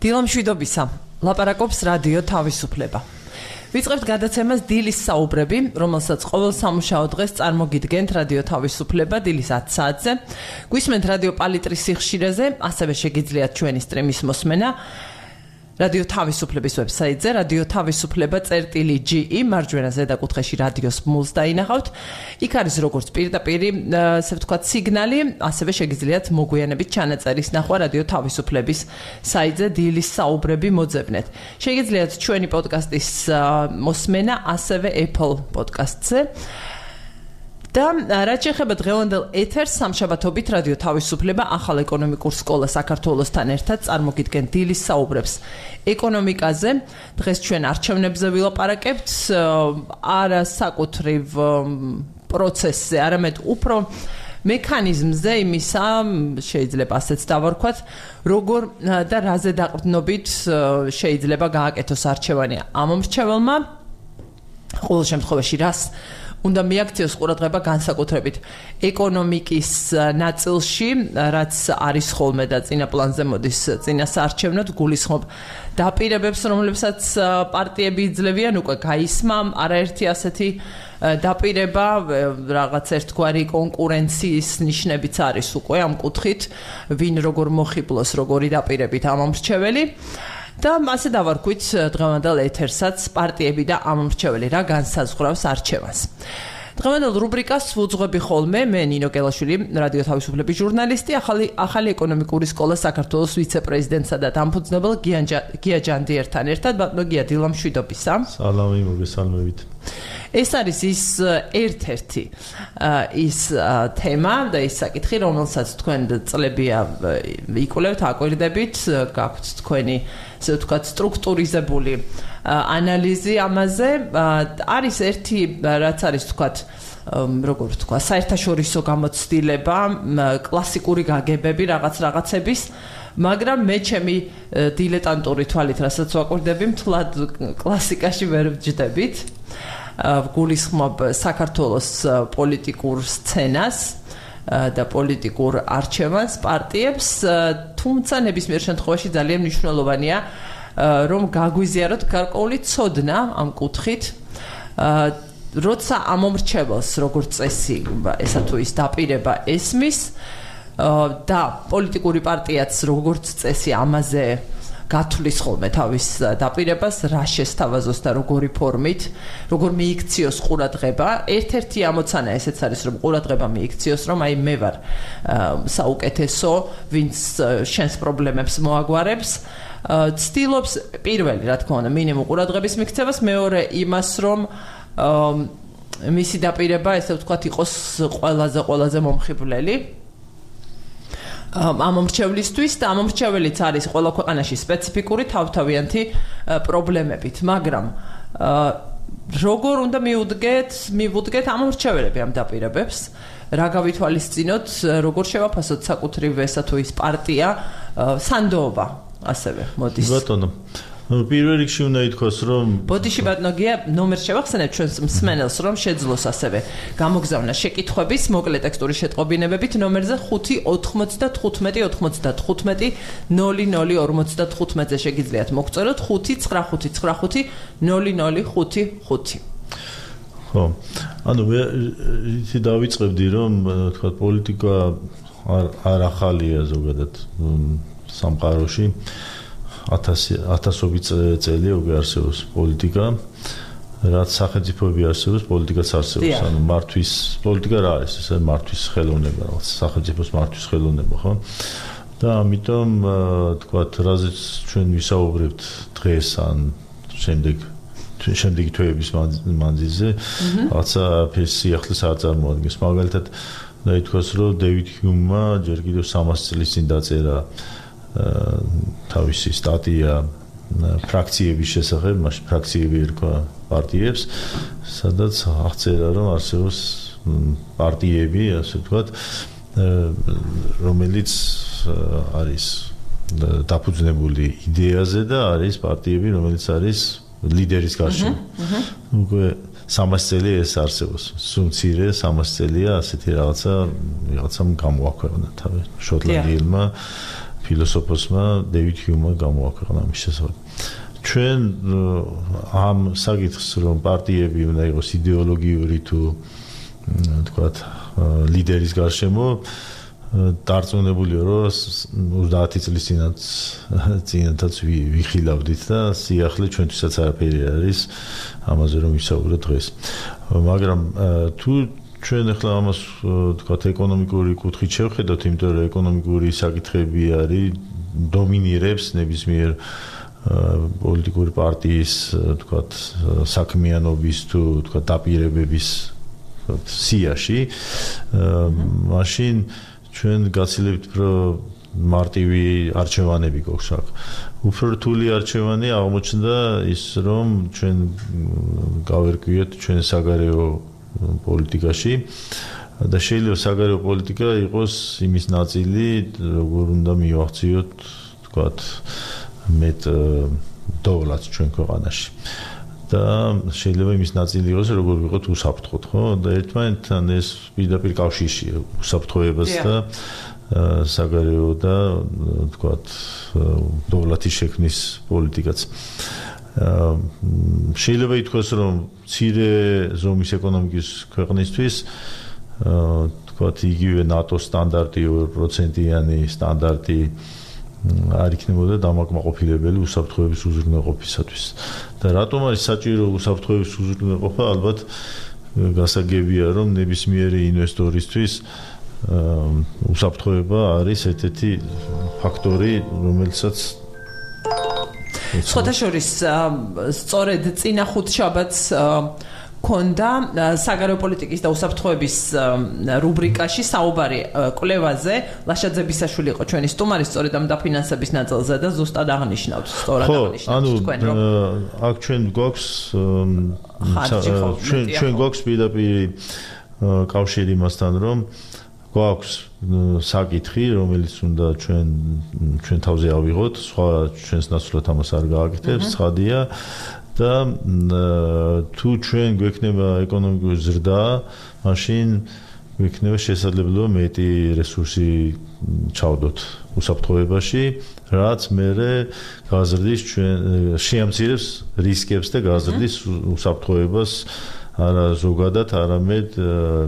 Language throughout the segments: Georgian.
დილამშვიდობისა. ლაპარაკობს რადიო თავისუფლება. ვიწყებთ გადაცემას დილის საუბრები, რომელსაც ყოველ სამუშაო დღეს წარმოგიდგენთ რადიო თავისუფლება დილის 10 საათზე. გვისმენთ რადიო პალიტრის სიხშირეზე, ასევე შეგიძლიათ ჩვენი სტრიმის მოსმენა რადიო თავისუფლების ვებსაიტზე radiotavisupleba.ge მარჯვენა ზედაკუთხეში რადიოს მულს დაინახავთ. იქ არის როგორც პირდაპირი, ასე ვთქვათ, სიგნალი, ასევე შეგიძლიათ მოგვიანებით ჩანაწერის ნახვა რადიო თავისუფლების საიტზე დილის საუბრები მოძებნეთ. შეგიძლიათ ჩვენი პოდკასტის მოსმენა ასევე Apple Podcast-ზე. და რაც შეეხება დღევანდელ ეთერს, სამშაბათობით რადიო თავისუფლება ახალ ეკონომიკურ სკოლას საქართველოსთან ერთად წარმოგიდგენთ დილის საუბრებს ეკონომიკაზე. დღეს ჩვენ არჩევნებზე ვილაპარაკებთ, არა საკუთრივ პროცესზე, არამედ უფრო მექანიზმზე იმისა, შეიძლება ასეც დავარქვათ, როგორ და რაზე დაყრდნობით შეიძლება გააკეთოს არჩევანი ამ მრჩეველმა. ყოველ შემთხვევაში რას უნდა მიაქციოს ყურადღება განსაკუთრებით ეკონომიკის ნაწილში, რაც არის ხოლმე და წინა პლანზე მოდის წინასაარჩევნოდ, გულისხმობ დაპირებებს, რომლებსაც პარტიები იძლევიან, უკვე გაისმა არაერთი ასეთი დაპირება, რაღაც ერთგვარი კონკურენციის ნიშნებიც არის უკვე ამ კუთხით, ვინ როგორ მოხიბლოს, როგორი დაპირებით ამ მრჩეველი. და ასე დავარქვით დღევანდელ ეთერსაც პარტიები და ამ მრჩეველი რა განსაზღვრავს არჩევანს. დღევანდელ რუბრიკას ვუძღვები ხოლმე მე ნინო გელაშვილი, რადიო თავისუფლების ჟურნალისტი, ახალი ეკონომიკური სკოლა საქართველოს ვიცე-პრეზიდენტსა და დამფუძნებელ გია ჯანდიერთან ერთად. ბატონო გია, დილამშვიდობისა. სალამი, მოგესალმებით. ეს არის ის ერთ-ერთი ის თემა და ის საკითხი, რომელსაც თქვენ წლებია იკვლევთ, აკვირდებით, გაქვთ თქვენი, ასე ვთქვათ, სტრუქტურიზებული ანალიზი ამაზე. არის ერთი, რაც არის, ვთქვათ, როგორ ვთქვა, საერთაშორისო გამოცდილება, კლასიკური გაგებები რაღაცების, მაგრამ მე ჩემი დილეტანტური თვალით, რასაც ვაკვირდები, მთლად კლასიკაში ვერ ვჯდებით. გულისხმობ საქართველოს პოლიტიკურ სცენას და პოლიტიკურ არჩევანს, პარტიებს, თუმცა ნებისმიერ შემთხვევაში ძალიან მნიშვნელოვანია, რომ გაგვიზიაროთ გარკვეული ცოდნა ამ კუთხით, როცა ამ მომრჩეველს როგორც წესი, ესა თუ ის დაპირება ესმის და პოლიტიკური პარტიაც როგორც წესი ამაზე გათვლის ხოლმე თავის დაპირებას, რა შესთავაზოს და როგორი ფორმით, როგორ მიიქციოს ყურადღება. ერთ-ერთი ამოცანა ესეც არის, რომ ყურადღება მიიქციოს, რომ აი მე ვარ საუკეთესო, ვინც შენს პრობლემებს მოაგვარებს. ცდილობს პირველი, რა თქმა უნდა, მინიმუმ ყურადღების მიქცევას, მეორე იმას, რომ მისი დაპირება, ესე ვთქვათ, იყოს ყველაზე მომხიბვლელი ამ მომრჩევლისთვის და ამ მომრჩეველიც არის ყველა ქვეყანაში სპეციფიკური თავთავიანთი პრობლემებით, მაგრამ როგორ უნდა მივუდგეთ ამ მომრჩეველები ამ დაპირებებს, რა გავითვალისწინოთ, როგორ შევაფასოთ საკუთრივ ესა თუ ის პარტია, სანდოობა ასევე მოდის. ბატონო, პირველ რიგში უნდა ითქვას, რომ ბოდიში ბატონო გია, ნომერს შევახსენებ ჩვენს მსმენელს, რომ შეძლოს ასევე გამოგზავნა შეკითხვების მოკლე ტექსტური შეტყობინებებით ნომერზე 5-95-15-00-55-00-55-ზე შეგიძლიათ მოგწეროთ 595-95-00-55. ხო, ანუ მე იცი დავიწყებდი, რომ თქვა პოლიტიკა არ ახალია ზოგადად სამყაროში. 1000 წელი უკვე არსებობს პოლიტიკა, რაც სახელმწიფოები არსებობს, პოლიტიკაც არსებობს. ანუ მართვის პოლიტიკა რა არის? ეს მართვის ხელოვნება, რაღაც სახელმწიფოს მართვის ხელოვნება, ხო? და ამიტომ თქვათ, რაზეც ჩვენ ვისაუბრებთ დღეს ან შემდეგი თვეების მანძილზე, რაღაცა სიახლეს არ წარმოადგენს. მაგალითად, და ითქვას, რომ დევიდ ჰიუმმა ჯერ კიდევ 300 წლის წინ დაწერა თავისი სტატია ფრაქციების შესახებ, მაშინ ფრაქციები ერქვა პარტიებს, სადაც აღწერა, რომ არსებობს პარტიები, ასე ვთქვათ, რომელიც არის დაფუძნებული იდეაზე და არის პარტიები, რომელიც არის ლიდერის გარშემო. უკვე 300 წელი ეს არსებობს. სუმცირე 300 წელია ასეთი რაღაცამ გამოაქვეყნა თავი შოტლანდიელმა ფილოსოფოსმა დეივიდ ჰიუმმა გამოაქვეყნა მის შესახებ. ჩვენ ამ საკითხს რომ პარტიები უნდა იყოს იდეოლოგიური თუ თქვათ ლიდერის გარშემო დარწმუნებულია რომ 30 წლის წინათაც ვიხილავდით და სიახლე ჩვენთვისაც არაფერი არის ამაზე რომ ვისაუბროთ დღეს. მაგრამ თუ ჩვენ ახლა ამას თქვათ ეკონომიკური კუთხით შევხედოთ, იმიტომ რომ ეკონომიკური საკითხები არის დომინირებს ნებისმიერ პოლიტიკური პარტიის თქვათ საქმიანობის თუ თქვათ დაპირებების სიაში მაშინ ჩვენ გაცილებით უფრო მარტივი არჩევანები გვაქვს აქ. უფრო რთული არჩევანი აღმოჩნდა ის რომ ჩვენ გავერკვიეთ ჩვენ საგარეო პოლიტიკაში და შეიძლება საგარეო პოლიტიკა იყოს იმის ნაწილი როგორ უნდა მივახციოთ თქვათ მეტ დოვლად ჩვენ ქვეყანაში და შეიძლება იმის ნაწილი იყოს როგორ ვიყოთ უსაფრთხოდ ხო და ერთმანეთთან ეს პირდაპირ კავშირშია უსაფრთხოებას და საგარეო და თქვათ დოვლათის შექმნის პოლიტიკაც შეიძლება ითქვას რომ მცირე ზომის ეკონომიკის ქვეყნისთვის თქვათ იგივე ნატოს სტანდარტი 2%-იანი სტანდარტი არ იქნებოდა დამაკმაყოფილებელი უსაფრთხოების უზრუნველყოფისათვის. და რატომ არის საჭირო უსაფრთხოების უზრუნველყოფა? ალბათ გასაგებია რომ ნებისმიერი ინვესტორისთვის უსაფრთხოება არის ერთ-ერთი ფაქტორი, რომელსაც შეხოთაშორის სწორედ წინა ხუთშაბათს ქონდა საგარეო პოლიტიკის და უსაფრთხოების რუბრიკაში საუბარი კვლევაზე. ლაშაძებისაშვილი იყო ჩვენი სტუმარი სწორედ ამ დაფინანსების ნაწილზე და ზუსტად აღნიშნავთ სწორად აღნიშნავთ თქვენ რომ აქ ჩვენ გვაქვს პირდაპირ კავშირი მასთან რომ გვაქვს საკითხი რომელიც უნდა ჩვენ თავზე ავიღოთ, სხვა ჩვენს ნაცვლად ამას არ გააკეთებს, ცხადია და თუ ჩვენ გვექნება ეკონომიკური ზრდა, მაშინ გვექნება შესაძლებლობა მეტი რესურსი ჩავდოთ უსაფრთხოებაში, რაც მერე გაზრდის შეამცირებს რისკებს და გაზრდის უსაფრთხოებას არა ზოგადად, არამედ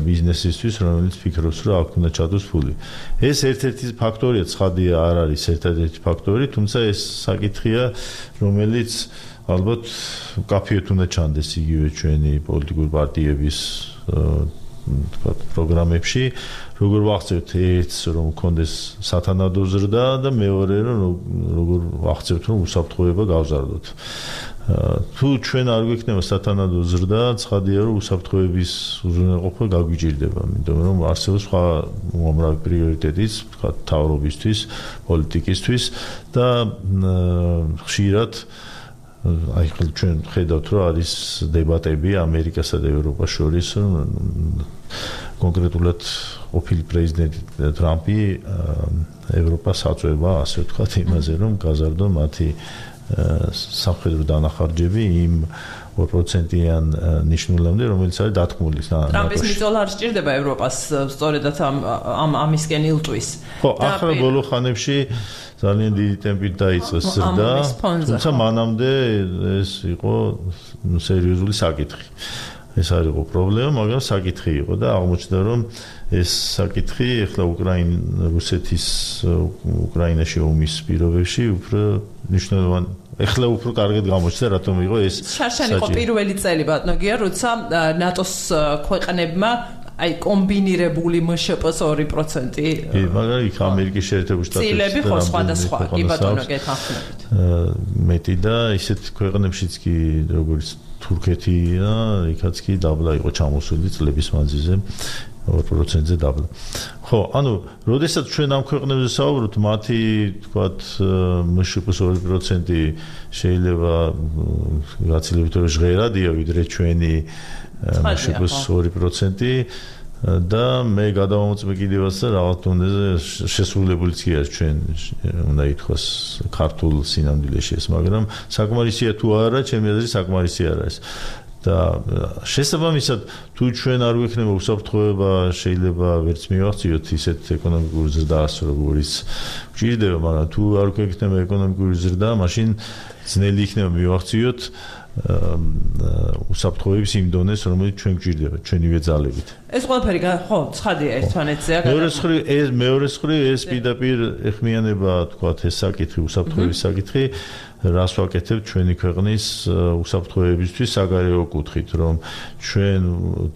ბიზნესისთვის, რომელიც ფიქრობს, რომ აქ უნდა ჩადოს ფული. ეს ერთ-ერთი ფაქტორია, ცხადია, არ არის ერთ-ერთი ფაქტორი, თუმცა ეს საკითხია, რომელიც ალბათ კაფეეთ უნდა ჩანდეს იგივე ჩვენი პოლიტიკური პარტიების თქვათ პროგრამებში, როგორ ვახცევთ ერთს, რომ მქონდეს სათანადო ზრდა და მეორე რომ როგორ ვახცევთ, რომ უსაფრთხოება გავზარდოთ. თუ ჩვენ არ გვექნება სათანადო ზრდა, ცხადია რომ უსაფრთხოების უზრუნველყოფა გაგვიჭირდება, იმიტომ რომ არსებობს სხვა უამრავი პრიორიტეტიც, თქვათ მთავრობისთვის, პოლიტიკისთვის და ხშირად აი ჩვენ ხედავთ რომ არის დებატები ამერიკასა და ევროპას შორის კონკრეტულად ყოფილი პრეზიდენტი ტრამპი ევროპას აწვევა ასე ვთქვათ იმაზე რომ გაზარდო მათი სამხედრო დანახარჯები იმ 2%-იან ნიშნულამდე, რომელიც არის დათქმული. ტრამპის მიწოლა არ სჭირდება ევროპას სწორედაც ამისკენ ილტვის. ხო, ახლა ბოლო ხანებში ძალიან დიდი ტემპით დაიწყეს ზრდა, თუმცა მანამდე ეს იყო სერიოზული საკითხი. ეს არ იყო პრობლემა, მაგრამ საკითხი იყო და აღმოჩნდა რომ ეს საკითხი ახლა რუსეთის უკრაინაში ომის პირობებში უფრო მნიშვნელოვანი ახლა უფრო კარგად გამოჩნდა რატომ იყო ეს შარშანი იყო პირველი წელი ბატონო გია როცა ნატოს ქვეყნებმა აი კომბინირებული მშპ-ს 2% მაგრამ იქ ამერიკის შეერთებული შტატებში წილები ხო სხვადასხვა კი ბატონო გეთანხმებით მეტი და ისეთ ქვეყნებშიც კი როგორც თურქეთი და იქაც კი დაბლა იყო ჩამოსული წლების მანძილზე 2%-ზე დაბლა. ხო, ანუ, როდესაც ჩვენ ამ ქვეყნებზე საუბრობთ, მათი, თქვათ, მშპ-ს 2% შეიძლება გაცილებით ჟღერადია, ვიდრე ჩვენი მშპ-ს 2% და მე გადავამოწმე კიდევაც და რაღაც დონეზე შესრულებულიც კი არის ჩვენ უნდა ითქვას ქართულ სინამდვილეში ეს, მაგრამ საკმარისია თუ არა, ჩემი აზრით საკმარისი არ არის. და შესაბამისად თუ ჩვენ არ გვექნება უსაფრთხოება შეიძლება ვერც მივახციოთ ისეთ ეკონომიკური ზრდას როგორც გვჭირდება მაგრამ თუ არ გვექნება ეკონომიკური ზრდა მაშინ ძნელი იქნება მივახციოთ უსაფრთხოების იმ დონეს რომელიც ჩვენ გვჭირდება ჩვენივე ძალებით ეს ყველაფერი ხო ცხადია ერთმანეთზეა მეორე მხრივ ეს პირდაპირ ეხმიანება თქვათ ეს საკითხი უსაფრთხოების საკითხი რას ვაკეთებთ ჩვენი ქვეყნის უსაფრთხოებისთვის საგარეო კუთხით რომ ჩვენ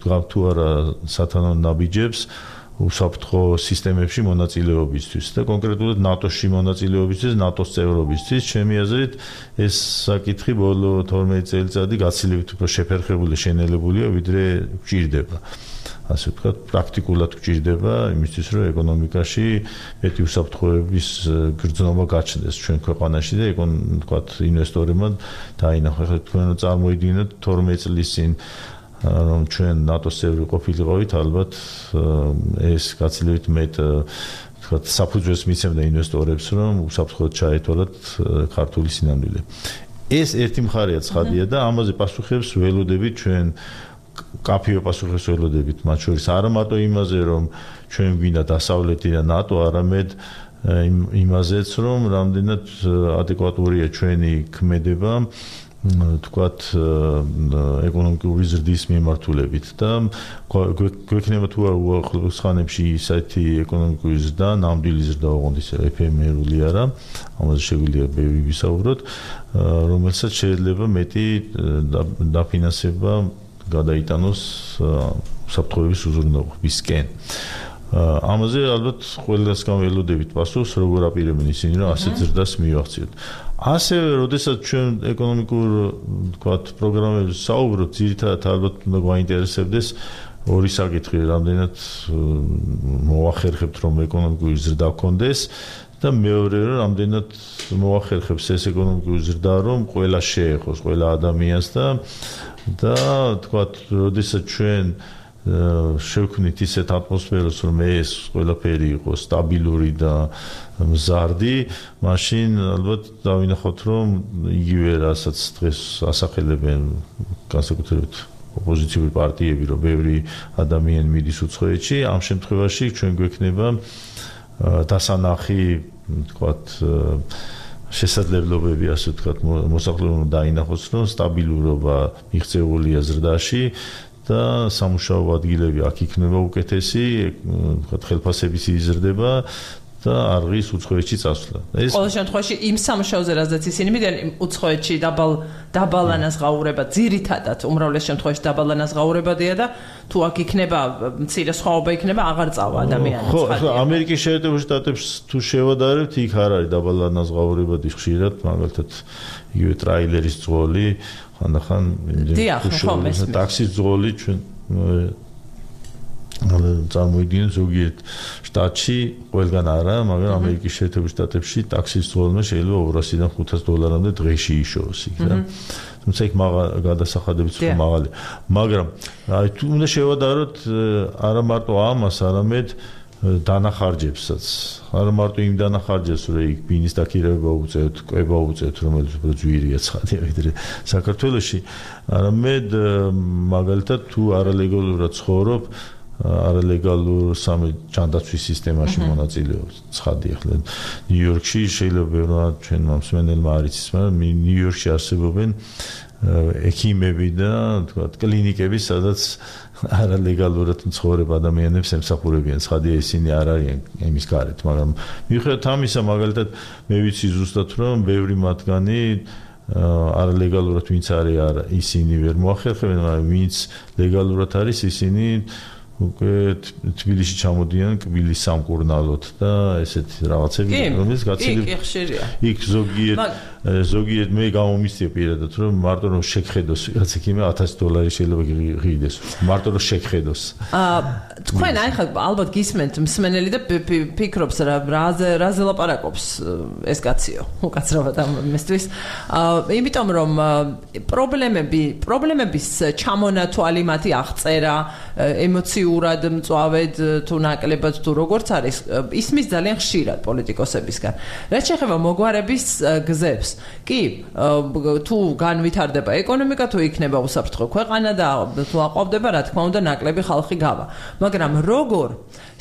გვაქვს თუ არა სათანადო ნაბიჯებს უსაფრთხო სისტემებში მონაწილეობისთვის და კონკრეტულად ნატოში მონაწილეობისთვის, ნატოს წევრობისთვის, ჩემი აზრით ეს საკითხი ბოლო 12 წელიწადი გაცილებით უფრო შეფერხებული შენელებულია, ვიდრე გვჭირდება. ასე ვთქვათ, პრაქტიკულად გვჭირდება იმისთვის, რომ ეკონომიკაში მეტი უსაფრთხოების გრძნობა გაჩნდეს ჩვენ ქვეყანაში და ვთქვათ, ინვესტორებმა დაინახა, თქვენ წარმოიდგინოთ 12 წლის წინ რომ ჩვენ ნატოს წევრი ყოფილიყავით, ალბათ ეს გაცილებით მეტ ვთქვათ, საფუძველს მიცემდა ინვესტორებს, რომ უსაფრთხოდ ჩაეთვალათ ქართული სინამდვილე. ეს ერთი მხარეა ცხადია და ამაზე პასუხებს ველოდებით ჩვენ კაფეო პასუხებს ველოდებით, მათ შორის არა მარტო იმაზე, რომ ჩვენ გვინდა დასავლეთი და ნატო, არამედ იმაზეც, რომ რამდენად ადეკვატურია ჩვენი ქმედება თქვათ ეკონომიკური ზრდის მიმართულებით და გვექნება თუ არა უახლოს ხანებში ისეთი ეკონომიკური ზრდა, ნამდვილი ზრდა ოღონდ ისე ეფემერული არა, ამაზე შეგვიძლია ბევრი ვისაუბროთ, რომელსაც შეიძლება მეტი დაფინანსება გადაიტანოს უსაფრთხოების უზრუნველობისკენ. ამაზე ალბათ ყველას გამველოდებით პასუხს, როგორ აპირებენ ისინი, რომ ასეთ ზრდას მივახციოთ. ასევე, როდესაც ჩვენ ეკონომიკურ, ვთქვათ, პროგრამებზე საუბრობთ, ძირითადად ალბათ უნდა გვაინტერესებდეს ორი საკითხი, რამდენად მოვახერხებთ, რომ ეკონომიკური ზრდა გქონდეს და მეორე, რომ რამდენად მოვახერხებს ეს ეკონომიკური ზრდა, რომ ყველა შეეხოს, ყველა ადამიანს და ვთქვათ, როდესაც ჩვენ შევქმნით ისეთ ატმოსფეროს, რომ ეს ყველაფერი იყოს სტაბილური და მზარდი, მაშინ ალბათ დავინახოთ, რომ იგივე რასაც დღეს ასახელებენ განსაკუთრებით ოპოზიციური პარტიები, რომ ბევრი ადამიანი მიდის უცხოეთში, ამ შემთხვევაში ჩვენ გვექნება დასანახი, ვთქვათ, შესაძლებლობები, ასე ვთქვათ, მოსახლეობამ დაინახოს, რომ სტაბილურობა მიღწეულია ზრდაში და სამუშაო ადგილები აქ იქნება უკეთესი, ვთქვათ, ხელფასების იზრდება და არღის უცხოეთში წასვლა. ყოველ შემთხვევაში იმ სამუშაოზე რაზეც ისინი მიდიან უცხოეთში დაბალანაზღაურება ძირითადად უმრავლეს შემთხვევაში დაბალანაზღაურებადია და თუ აქ იქნება მცირე სხვაობა იქნება აღარ წავა ადამიანი. ხო, ამერიკის შეერთებულ შტატებში თუ შევადარებთ, იქ არ არის დაბალანაზღაურებადი ხშირად, მაგალითად იგივე ტრაილერის ძღოლი, ხანდახან ტაქსის ძღოლი ჩვენ წარმოიდგინეთ ზოგიერთ შტატში ყველგან არა, მაგრამ ამერიკის შეერთებულ შტატებში ტაქსის ძღოლმა შეიძლება 200-დან 500 დოლარამდე დღეში იშოვოს იქ და თუმცა იქ გადასახადებით უფრო მაღალია. მაგრამ აი თუ უნდა შევადაროთ არა მარტო ამას, არამედ დანახარჯებსაც. არა მარტო იმ დანახარჯებს, რომ იქ ბინის დაქირავება უწევთ, კვება უწევთ, რომელიც უფრო ძვირია ცხადია ვიდრე საქართველოში, არამედ მაგალითად თუ არალეგალურად ცხოვრობ, არალეგალურ ჯანდაცვის სისტემაში მონაწილეობს. ცხადია, ხლა ნიუ-იორკში შეიძლება ბევრად ჩვენ მსმენელმა არ იცის, მაგრამ ნიუ-იორკში არსებობენ ექიმები და თქვათ კლინიკები, სადაც არალეგალურად მცხოვრებ ადამიანებს ემსახურებიან. ცხადია, ისინი არ არიან იმის გარეთ, მაგრამ მიუხედავად ამისა, მაგალითად მე ვიცი ზუსტად, რომ ბევრი მათგანი არალეგალურად ვინც არის, ისინი ვერ მოახერხებენ, მაგრამ ვინც ლეგალურად არის, ისინი უკვე თბილისში ჩამოდიან კბილის სამკურნალოდ და ესეთ რაღაცები, რომელიც გაცილებით იქ ზოგიერთ მე გამომისწია პირადად, რომ მარტო რომ შეგხედოს ვიღაც იქ $1000 შეიძლება ღირდეს. მარტო რომ შეგხედოს. თქვენ აი ხა ალბათ გისმენთ მსმენელი და ფიქრობს რაზე ლაპარაკობს ეს კაციო, უკაცრავად ამისთვის. იმიტომ რომ პრობლემების ჩამონათვალი მათი აღწერა, ემოციურად მწვავედ თუ ნაკლებად თუ როგორც არის, ისმის ძალიან ხშირად პოლიტიკოსებისგან. რაც შეეხება მოგვარების გზებს, კი, თუ განვითარდება ეკონომიკა, თუ იქნება უსაფრთხო ქვეყანა და თუ აყვავდება, რა თქმა უნდა, ნაკლები ხალხი გავა. მაგრამ როგორ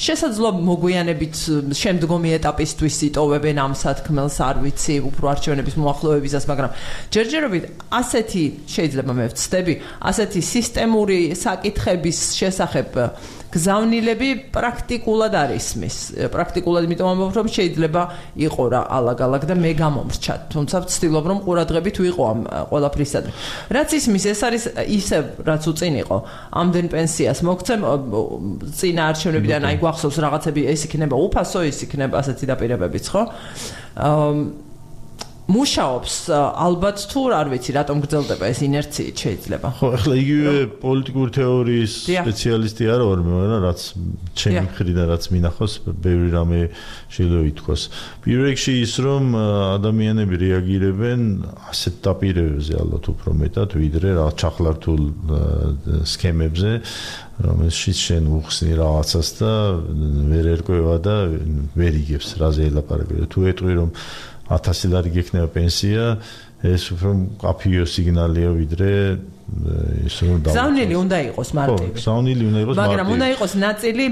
შესაძლოა მოგვიანებით შემდგომი ეტაპისთვის იტოვებენ ამ სათქმელს, არ ვიცი, უფრო არჩევნების მოახლოებისას, მაგრამ ჯერჯერობით ასეთი შეიძლება მე ვცდები, ასეთი სისტემური საკითხების შესახებ გზავნილები პრაქტიკულად არ ისმის. პრაქტიკულად იმიტომ ამბობ, რომ შეიძლება იყო რა ალაგ-ალაგ და მე გამომრჩა. თუმცა ვცდილობ, რომ ყურადღებით ვიყო ამ ყველაფრისადმი. რაც ისმის, ეს არის ისევ, რაც უწინ იყო. ამდენ პენსიას მოგცემ წინა არჩევნებიდან, აი გვახსოვს რაღაცები, ეს იქნება უფასო, ის იქნება ასეთი დაპირებებიც, ხო? მუშაობს ალბათ თუ არ ვიცი რატომ გრძელდება ეს ინერციით შეიძლება. ხო, ახლა იგივე პოლიტიკური თეორიის სპეციალისტი არ ვარ, მაგრამ რაც ჩემი მხრიდან რაც მინახავს, ბევრი რამე შეიძლება ითქვას. პირველ რიგში ის რომ ადამიანები რეაგირებენ ასეთ დაპირებებზე ალბათ უფრო მეტად, ვიდრე რაღაც ჩახლართულ სქემებზე, რომელშიც შენ უხსნი რაღაცას და ვერ ერკვევა და ვერ იგებს რაზე ელაპარაკება. თუ ეტყვი რომ 1000 ლარი გექნება პენსია, ეს უფრო მკაფიო სიგნალია ვიდრე ის რომ გზავნილი უნდა იყოს მარტივი. ხო, გზავნილი უნდა იყოს მარტივი. მაგრამ უნდა იყოს ნაწილი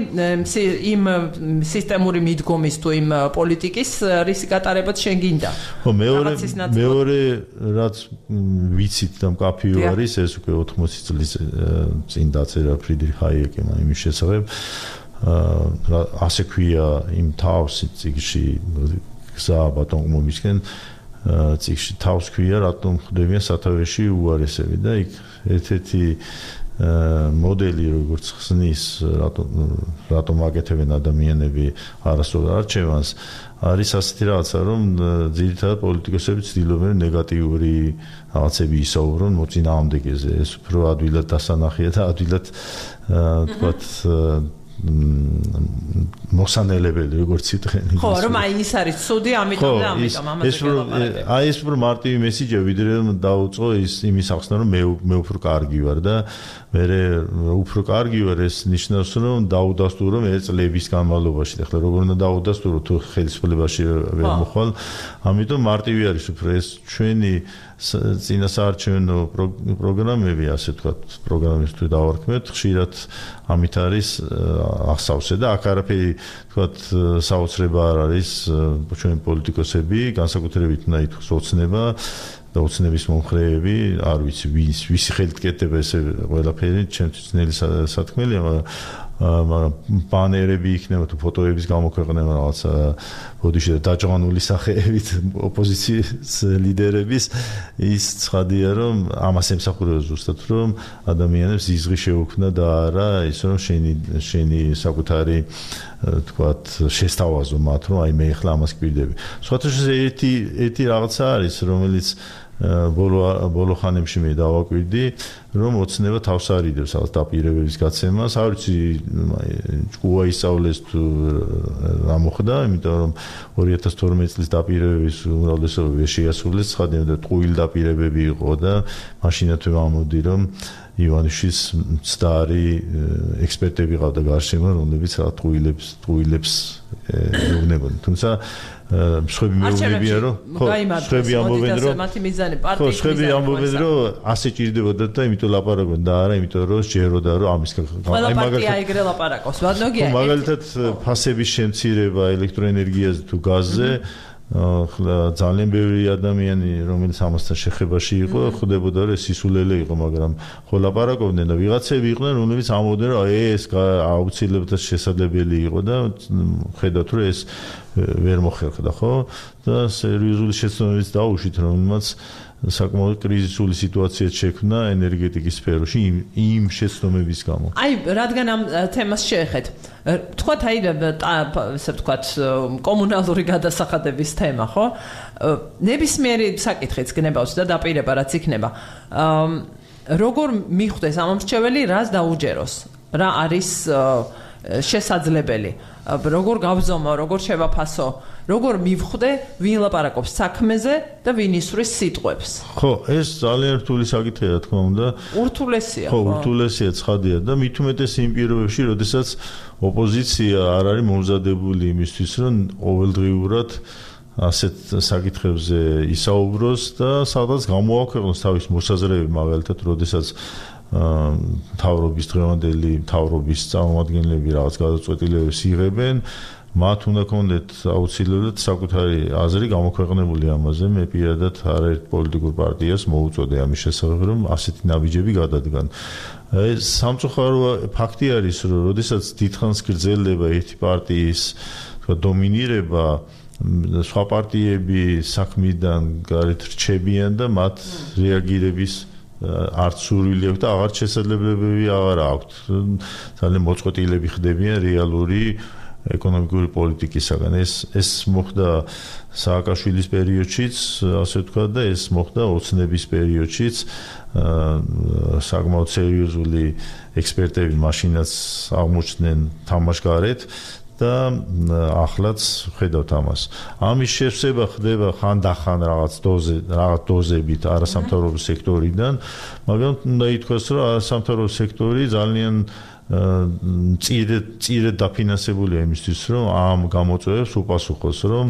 იმ სისტემური მიდგომის თუ იმ პოლიტიკის რის გატარებაც შენ გინდა. ხო, მეორე რაც ვიცით და მკაფიო არის, ეს უკვე 80 წლის წინ დაწერა ფრიდრიხ ჰაიეკემ იმის შესახებ. ასე ქვია იმ თავსი წიგნში გზა ბატონყმობისკენ წიგნში თავს ქვია რატომ ხდებიან სათავეში უარესები და იქ ერთ-ერთი მოდელი როგორც ხსნის რატომ აკეთებენ ადამიანები არასწორ არჩევანს არის ასეთი რაღაცა რომ ძირითადად პოლიტიკოსები ცდილობენ ნეგატიური რაღაცები ისაუბრონ მოწინააღმდეგეზე ეს უფრო ადვილად დასანახია და ადვილად თქვათ მოსანელებელი როგორც იტყვენ. ხო, რომ აი ის არის ცუდი, ამიტომ ამაზე გელაპარაკებ. აი ეს უფრო მარტივი მესიჯია, ვიდრე რომ დაუწყო იმის ახსნა, რომ მე უფრო კარგი ვარ და მე უფრო კარგი ვარ, ეს ნიშნავს, რომ დაუდასტურო მე წლების განმავლობაში. ახლა როგორ უნდა დაუდასტურო თუ ხელისუფლებაში ვერ მოხვალ, ამიტომ მარტივი არის უფრო ეს ჩვენი წინასაარჩევნო პროგრამები, ასე ვთქვათ, პროგრამის თუ დავარქმევთ, ხშირად ამით არის ახსავსე და აქ არაფერი ვთქვათ საოცრება არ არის ჩვენ პოლიტიკოსები, განსაკუთრებით უნდა ითქვას ოცნება და ოცნების მომხრეები, არ ვიცი ვისი ხელით კეთდება ესე ყველაფერი, ჩემთვის ძნელი სათქმელია, მაგრამ ბანერები იქნება თუ ფოტოების გამოქვეყნება რაღაცა ბოდიში და დაჭრანული სახეებით ოპოზიციის ლიდერების ის ცხადია რომ ამას ემსახურება ზუსტად რომ ადამიანებს იზღი შეუქმნა და არა ის რომ შენი საკუთარი თქვათ შესთავაზო მათ რომ აი მე ახლა ამას გვირდები. სხვათა ერთი რაღაცა არის რომელიც ბოლო ხანებში მე დავაკვირდი რომ ოცნება თავს არიდებს ალბათ დაპირებების გაცემას, არ ვიცი ჭკუა ისწავლეს თუ რა მოხდა, იმიტომ რომ 2012 წლის დაპირებების უმრავლესობა შეასრულეს, ცხადია და ტყუილი დაპირებები იყო და მაშინათვე ამოდი რომ ივანიშვილის მცდარი ექსპერტები ყავდა გარშემო, რომლებიც რა ტყუილებს ეუბნებოდნენ. თუმცა მსხვები მეუბნებიან რომ მსხვები ამბობენ რომ მათი მიზანი პარტიის მსხვები ამბობენ რომ ასე ჭირდებოდა და იმიტომ ლაპარაკობენ და არა იმიტომ რომ შეეროდა რომ ამის აი მაგალითად ეგრე ლაპარაკობს ვადნოგია მაგალითად ფასების შემცირება ელექტროენერგიაზე თუ გაზზე ძალიან ბევრი ადამიანი რომელიც ამასთან შეხებაში იყო ხვდებოდა რომ სისულელე იყო მაგრამ ხო ლაპარაკობდნენ და ვიღაცები იყვნენ რომლებიც ამბობდნენ რომ ეს აუცილებლად შესაძლებელი იყო და ხედავთ რომ ეს ვერ მოხერხდა ხო და სერიოზული შეცდომებიც დაუშვით რომელმაც საკმაოდ კრიზისული სიტუაციაც შექმნა ენერგეტიკის სფეროში იმ შეცდომების გამო. აი, რადგან ამ თემას შეეხეთ, თქვათ აი, ასე ვთქვათ, კომუნალური გადასახადების თემა, ხო? ნებისმიერი საკითხიც გნებავს და დაპირება რაც იქნება. როგორ მიხვდეს ამ მრჩეველი, რას დაუჯეროს? რა არის შესაძლებელი? როგორ გავზომო, როგორ შევაფასო? როგორ მივხვდე ვინ ლაპარაკობს საქმეზე და ვინ ისვრის სიტყვებს? ხო, ეს ძალიან რთული საკითხია, რა თქმა უნდა. ურთულესია. ხო, ურთულესია, ცხადია და მით უმეტეს იმ პირობებში, როდესაც ოპოზიცია არ არის მომზადებული იმისთვის, რომ ყოველდღიურად ასეთ საკითხებზე ისაუბროს და სადაც გამოაქვეყნოს თავის მოსაზრებები, მაგალითად, როდესაც მთავრობის დღევანდელი მთავრობის წარმომადგენლები რაღაც გადაწყვეტილებებს იღებენ, მათ უნდა კონდეთ აუცილებლად საკუთარი აზრი გამოქვეყნებული ამაზე. მე პირადად არაერთ პოლიტიკურ პარტიას მოუწოდე ამის შესახებ, რომ ასეთი ნაბიჯები გადადგან. ეს სამწუხარო ფაქტი არის, რომ როდესაც დიდხანს გრძელდება ერთი პარტიის დომინირება, სხვა პარტიები საქმიდან გარეთ რჩებიან და მათ რეაგირების არც სურვილი აქვს და აღარც შესაძლებლობები აღარ აქვს. ძალიან მოწყვეტილები ხდებიან რეალური ეკონომიკური პოლიტიკისაგან. ეს მოხდა სააკაშვილის პერიოდშიც, ასე ვთქვათ, და ეს მოხდა ოცნების პერიოდშიც. საკმაოდ სერიოზული ექსპერტები მაშინაც აღმოჩნდნენ თამაშგარეთ და ახლაც ხედავთ ამას. ამის შევსება ხდება ხანდახან რაღაც დოზებით არასამთავრობო სექტორიდან, მაგრამ უნდა ითქვას, რომ არასამთავრობო სექტორი ძალიან წირედ დაფინანსებულია იმისთვის, რომ ამ გამოწვევებს უპასუხოს, რომ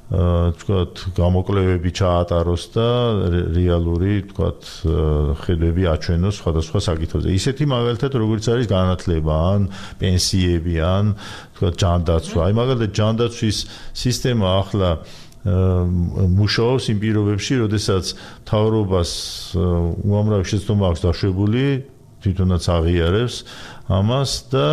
თქვათ გამოკვლევები ჩაატაროს და რეალური თქვათ ხედვები აჩვენოს სხვადასხვა საკითხებზე. ისეთი მაგალითად როგორც არის განათლება ან პენსიები ან თქვათ ჯანდაცვა. აი მაგალითად ჯანდაცვის სისტემა ახლა მუშაობს იმ პირობებში, როდესაც მთავრობას უამრავი შეცდომა აქვს დაშვებული, თვითონაც აღიარებს ამას და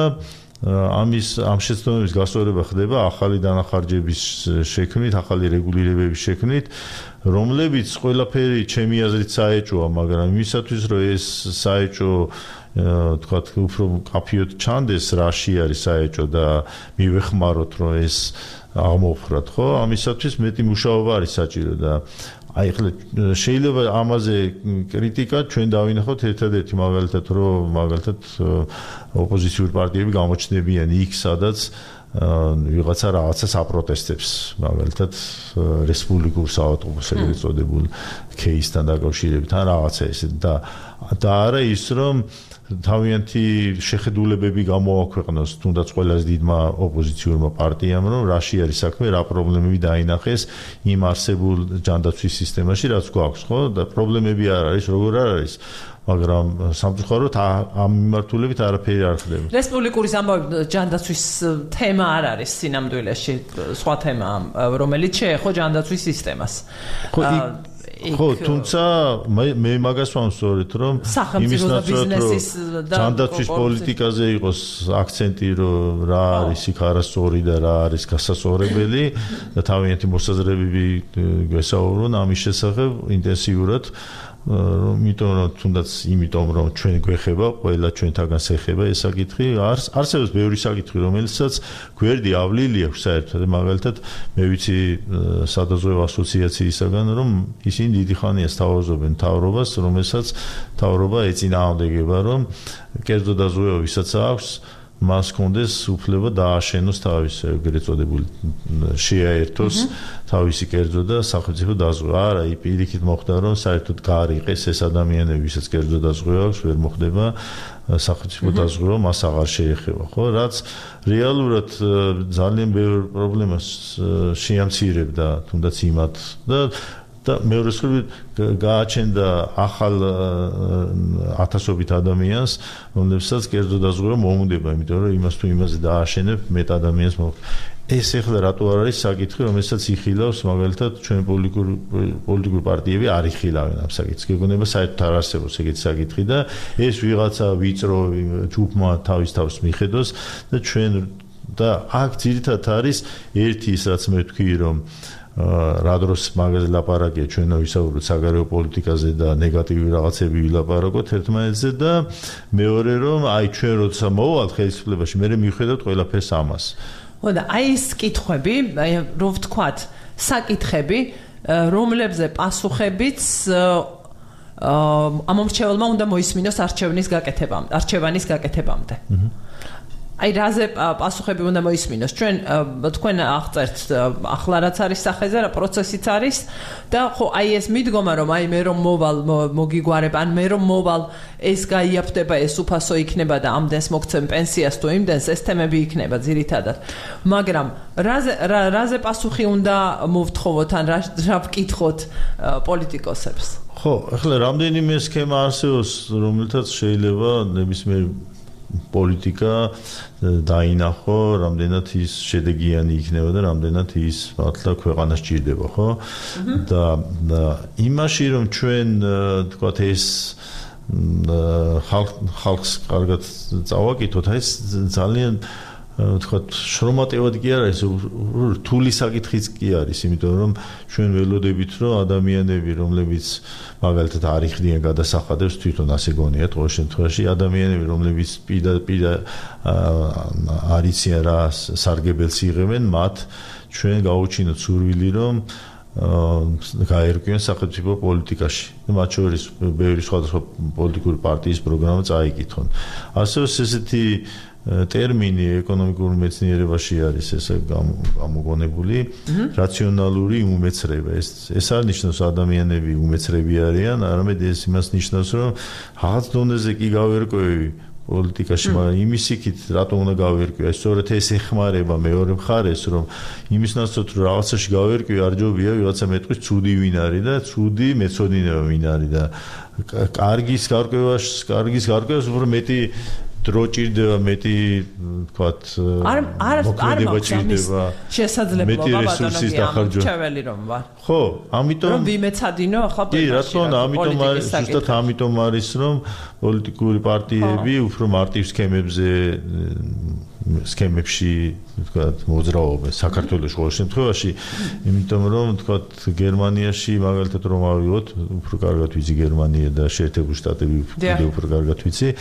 ამ შეცდომების გასწორება ხდება ახალი დანახარჯების შექმნით, ახალი რეგულირებების შექმნით, რომლებიც ყველაფერი ჩემი აზრით საეჭოა, მაგრამ იმისათვის, რომ ეს საეჭო თქვათ უფრო კაფიოდ ჩანდეს, რაში არის საეჭო და მივეხმაროთ, რომ ეს აღმოფხვრათ, ხო? ამისათვის მეტი მუშაობა არის საჭირო და აი ხლა შეიძლება ამაზე კრიტიკა ჩვენ დავინახოთ ერთადერთი მაგალითად, რომ მაგალითად ოპოზიციური პარტიები გამოჩნდებიან იქ, სადაც ვიღაცა რაღაცას აპროტესტებს, მაგალითად რესპუბლიკურ საავადმყოფოს ეგრეთ წოდებულ кейსთან დაკავშირებით, ან რაღაცა ესე და არა ის, რომ თავიანთი შეხედულებები გამოაქვეყნოს თუნდაც ყველაზე დიდმა ოპოზიციურმა პარტიამ, რომ რაში არის საქმე, რა პრობლემები დაინახეს იმ არსებულ ჯანდაცვის სისტემაში, რაც გვაქვს, ხო? და პრობლემები არ არის, როგორ არ არის, მაგრამ სამწუხაროდ ამ მიმართულებით არაფერი არ ხდება. რესპუბლიკური ამბავი ჯანდაცვის თემა არ არის სინამდვილეში, სხვა თემა, რომელიც შეეხო ჯანდაცვის სისტემას. ხო, თუმცა მე მაგას ვამსწორეთ, რომ იმის ნაცვლად, რომ ჯანდაცვის პოლიტიკაზე იყოს აქცენტი, რომ რა არის იქ არასწორი და რა არის გასასწორებელი და თავიანთი მოსაზრებები გვესაუბრონ ამის შესახებ ინტენსიურად, იმიტომ რომ ჩვენ გვეხება, ყველა ჩვენთაგან ეხება ეს საკითხი, არსებობს ბევრი საკითხი, რომელსაც გვერდი ავლილი აქვს საერთოდ, მაგალითად, მე ვიცი სადაზღვევო ასოციაციისაგან, რომ ისინი დიდი ხანია სთავაზობენ მთავრობას, რომელსაც მთავრობა ეწინააღმდეგება, რომ კერძო დაზღვევა ვისაც აქვს, მას კონდეს უფლება დააშენოს თავის ეგრეთ წოდებული შეაერთოს თავისი კერძო და სახელმწიფო დაზღვევა. არა, პირიქით მოხდა, რომ საერთოდ გაარიყეს ეს ადამიანები, ვისაც კერძო დაზღვევა აქვს, ვერ მოხდება სახელმწიფო დაზღვევა, მას აღარ შეეხება, ხო? რაც რეალურად ძალიან ბევრ პრობლემას შეამცირებდა, თუნდაც იმათ და მეორე მხრივ გააჩენდა ახალ ათასობით ადამიანს, რომლებსაც კერძო დაზღვევა მოუნდება, იმიტომ რომ იმას თუ იმაზე დააშენებ, მეტ ადამიანს ეს ეხლა რატო არ არის საკითხი, რომელსაც იხილავს მაგალითად ჩვენ პოლიტიკური პარტიები არ იხილავენ ამ საკითხს. გეგონება საერთოდ არ არსებობს ეგეთი საკითხი და ეს ვიღაცა ვიწრო ჯგუფმა თავის თავს მიხედოს და ჩვენ და აქ ძირითადად არის ერთი ის რაც მე ვთქვი, რომ რა დროს მაგაზე ლაპარაკია, ჩვენო ვისაუბროთ საგარეო პოლიტიკაზე და ნეგატივი რაღაცები ვილაპარაკოთ ერთმანეთზე და მეორე რომ აი ჩვენ როცა მოვალთ ხელისუფლებაში, მე მივხვდეთ ყველაფერს ამას. ხო და აი ეს კითხვები, აი რო ვთქვათ, საკითხები, რომლებზე პასუხებიც ამომრჩეველმა უნდა მოისმინოს არჩევანის გაკეთებამდე. აი რაზე პასუხები უნდა მოისმინოს ჩვენ თქვენ აღწერთ ახლა რაც არის სახეზე რა პროცესიც არის და ხო აი ეს მიდგომა რომ აი მე რომ მოვალ მოგიგვარებ ან მე რომ მოვალ ეს გაიაფდება ეს უფასო იქნება და ამდენს მოგცემ პენსიას თუ იმდენს ეს თემები იქნება ძირითადად მაგრამ რაზე პასუხი უნდა მოვთხოვოთ ან რა ვკითხოთ პოლიტიკოსებს ხო ახლა რამდენიმე სქემა არსებობს რომელთაც შეიძლება ნებისმიერ პოლიტიკა დაინახო, რამდენად ის შედეგიანი იქნება და რამდენად ის მართლა ქვეყანას ჭირდება, ხო? და იმაში რომ ჩვენ თქვათ ეს ხალხს კარგად წავაკითხოთ, ეს ძალიან თქვათ შრომატევად კი არ არის, რთული საკითხიც კი არის, იმიტომ რომ ჩვენ ველოდებით რომ ადამიანები, რომლებიც მაგალითად არ იხდიან გადასახადებს, თვითონ ასე გონიათ ყოველ შემთხვევაში, ადამიანები, რომლებიც პირდაპირ არ იციან რა სარგებელს იღებენ, მათ ჩვენ გავუჩინოთ სურვილი რომ გაერკვიონ სახელმწიფო პოლიტიკაში. მათ შორის ბევრი სხვადასხვა პოლიტიკური პარტიის პროგრამა წაიკითხონ. ასევე ესეთი ტერმინი ეკონომიკურ მეცნიერებაში არის ესე გამოგონებული რაციონალური უმეცრება ეს არ ნიშნავს ადამიანები უმეცრები არიან არამედ ეს იმას ნიშნავს რომ რაღაც დონეზე კი გავერკვევი პოლიტიკაში მაგრამ იმის იქით რატომ უნდა გავერკვია სწორედ ეს ეხმარება მეორე მხარეს რომ იმის ნაცვლად რომ რაღაცაში გავერკვი არ ჯობია ვიღაცა მეტყვის ცუდი ვინ არის და ცუდი მეცოდინება ვინ არის და კარგის გარკვევას უფრო მეტი დრო ჭირდება მეტი თქვათ მოქმედება ჭირდება შესაძლებლობა ბატონო ჩაველი რომ ვარ ხო ამიტომ რომ ვიმეცადინო ახლა კი რა თქმა უნდა ამიტომ არის ზუსტად ამიტომ არის რომ პოლიტიკური პარტიები უფრო მარტივ სქემებში თქვათ მოძრაობენ საქართველოს ყოველ შემთხვევაში იმიტომ რომ თქვათ გერმანიაში მაგალითად რომ ავიღოთ უფრო კარგად ვიცი გერმანია და შეერთებული შტატები უფრო კარგად ვიცი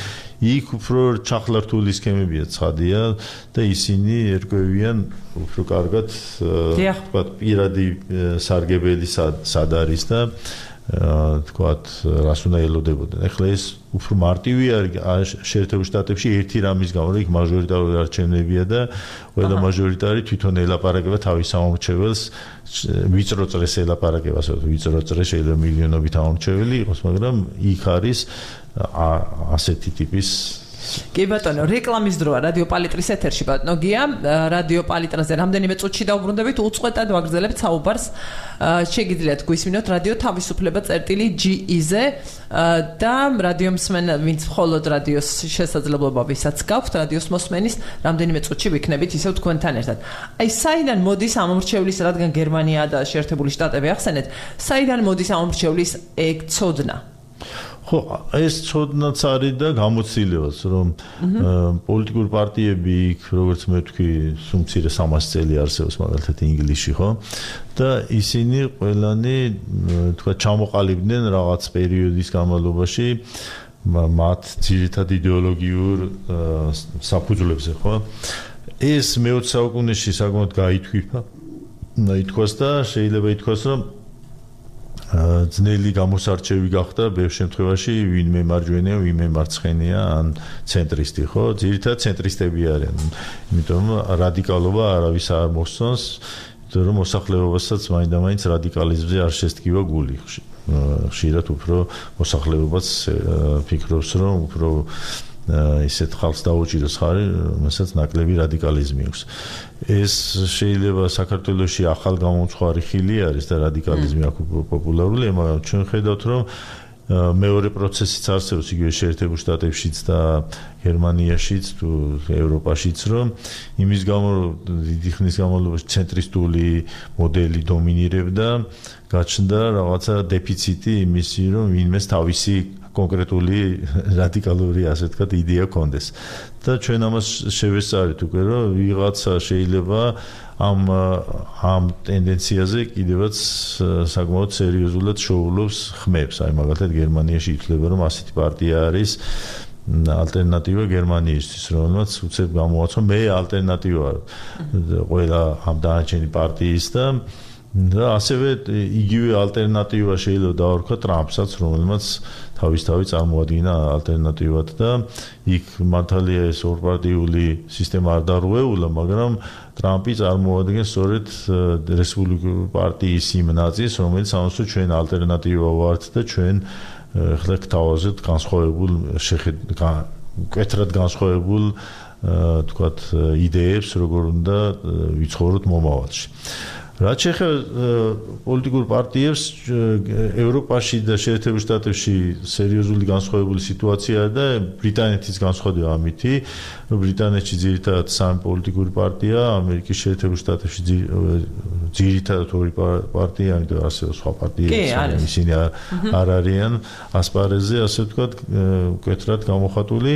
იქ უფრო ჩახლართული სქემებია ცხადია და ისინი ერკვევიან უფრო კარგად თქვათ პირადი სარგებელი სად არის და თქვათ რას უნდა ელოდებოდნენ. ახლა ეს უფრო მარტივი არის შეერთებულ შტატებში ერთი რამის გამო, რომ იქ მაჟორიტარული არჩევნებია და ყველა მაჟორიტარი თვითონ ელაპარაკება თავის სამომრჩეველს, ვიწრო წრეს ელაპარაკება, ვიწრო წრე შეიძლება მილიონობით ამომრჩეველი იყოს, მაგრამ იქ არის ასეთი ტიპის კი ბატონო, რეკლამის დროა რადიო პალიტრის ეთერში ბატონო გია, რადიო პალიტრაზე რამდენიმე წუთში დავუბრუნდებით, უწყვეტად ვაგრძელებთ საუბარს. შეგიძლიათ გვისმინოთ რადიო თავისუფლება წერტილი.ge-ზე და რადიო მსმენ, ვინც მხოლოდ რადიოს შესაძლებლობა ვისაც გაქვთ, რადიოს მოსმენის რამდენიმე წუთში ვიქნებით ისევ თქვენთან ერთად. აი, საიდან მოდის ამომრჩევლის, რადგან გერმანია და შეერთებული შტატები ახსენეთ, საიდან მოდის ამომრჩევლის ეგ ცოდნა? ხო, ეს ცოდნაც არის და გამოცდილებაც, რომ პოლიტიკური პარტიები იქ, როგორც მე ვთქვი, სულ 300 წელი არსებობს მაგალითად ინგლისში, ხო? და ისინი ყველანი, თქვა, ჩამოყალიბდნენ რაღაც პერიოდის განმავლობაში მათ ძირითად იდეოლოგიურ საფუძვლებზე, ხო? ეს მე-20 საუკუნეში საკმაოდ გაითქვიფა, ითქვას და შეიძლება ითქვას, რომ ძნელი გამოსარჩევი გახდა ბევრ შემთხვევაში ვინმე მარჯვენია, ვინმე მარცხენია, ან ცენტრისტი, ხო? ძირითადად ცენტრისტები არიან. იმიტომ რადიკალობა არავის არ მოსწონს, იმიტომ რომ მოსახლეობასაც მაინდა-მაინც რადიკალიზმზე არ შესტკივა გული. ხშირად უფრო მოსახლეობაც ფიქრობს, რომ უფრო ისეთ ხალხს დაუჭიროს ხარი, რომელსაც ნაკლები რადიკალიზმი აქვს. ეს შეიძლება საქართველოში ახალ გამომწვარი ხილი არის და რადიკალიზმი აქ პოპულარულია, მაგრამ ჩვენ ხედავთ, რომ მეორე პროცესიც არსებობს იგივე შეერთებულ შტატებშიც და გერმანიაშიც თუ ევროპაშიც, რომ იმის გამო დიდი ხნის განმავლობაში ცენტრისტული მოდელი დომინირებდა, გაჩნდა რაღაცა დეფიციტი იმისი, რომ ვინმეს თავისი კონკრეტული რადიკალური ასე ვთქვათ იდეა კონდეს და ჩვენ ამას შევესწარით უკვე რომ ვიღაცა შეიძლება ამ ტენდენციაზე კიდევაც საკმაოდ სერიოზულად შოულობს ხმებს. აი მაგალითად გერმანიაში ითვლება რომ ასეთი პარტია არის ალტერნატივა გერმანიისთვის, რომელმაც უცებ გამოაცხო მე ალტერნატივა ყველა ამ დანარჩენი პარტიის და და ასევე იგივე ალტერნატივა შეიძლება დავარქვა ტრამპსაც, რომელმაც თავისთავად წარმოადგინა ალტერნატივად და იქ მართალია ეს ორპარტიული სისტემა არ დარღვეულა, მაგრამ ტრამპი წარმოადგენს სწორედ რესპუბლიკური პარტიის იმ ნაწილს, რომელიც ამასო ჩვენ ალტერნატივა ვართ და ჩვენ ხლა გთავაზობთ განსხვავებულ მკვეთრად განსხვავებულ თქვათ იდეებს, როგორ უნდა ვიცხოვროთ მომავალში. რაც შეეხება პოლიტიკურ პარტიებს ევროპაში და შეერთებულ შტატებში სერიოზული განსხვავებული სიტუაციაა და ბრიტანეთის განსხვავდება ამითი. ბრიტანეთში ძირითადად სამი პოლიტიკური პარტია, ამერიკის შეერთებულ შტატებში ძირითადად ორი პარტია, ამიტომ არსებობს სხვა პარტიები, ისინი არ არიან ასპარეზზე, ასე ვთქვათ, მკვეთრად გამოხატული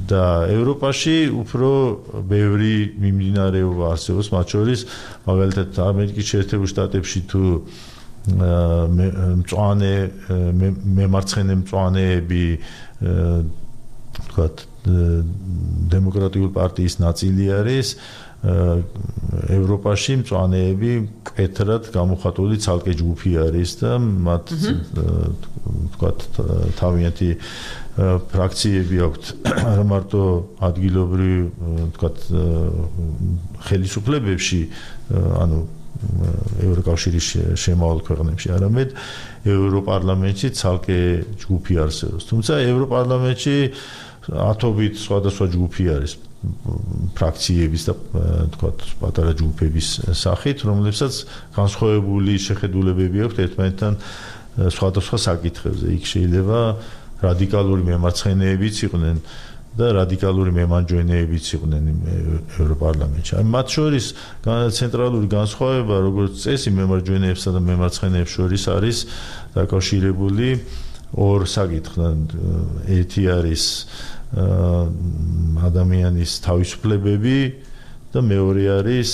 და ევროპაში უფრო ბევრი მიმდინარეობა არსებობს, მათ შორის მაგალითად ამერიკის შეერთებულ შტატებში თუ მემარცხენე მწვანეები ვთქვათ დემოკრატიული პარტიის ნაწილი არის ევროპაში მწვანეები მკვეთრად გამოხატული ცალკე ჯგუფი არის და მათ ვთქვათ თავიანთი ფრაქციები აქვთ არა მარტო ადგილობრივ ვთქვათ ხელისუფლებებში ანუ ევროკავშირის შემავალ ქვეყნებში არამედ ევროპარლამენტში ცალკე ჯგუფი არსებობს თუმცა ევროპარლამენტში ათობით სხვადასხვა ჯგუფი არის ფრაქციების და თქვათ პატარა ჯგუფების სახით რომლებსაც განსხვავებული შეხედულებები აქვთ ერთმანეთთან სხვადასხვა საკითხებზე იქ შეიძლება რადიკალური მემარცხენეებიც იყვნენ და რადიკალური მემარჯვენეებიც იყვნენ ევროპარლამენტში. აი მათ შორის ცენტრალური განსხვავება როგორც წესი მემარჯვენეებსა და მემარცხენეებს შორის არის დაკავშირებული ორ საკითხთან. ერთი არის ადამიანის თავისუფლებები და მეორე არის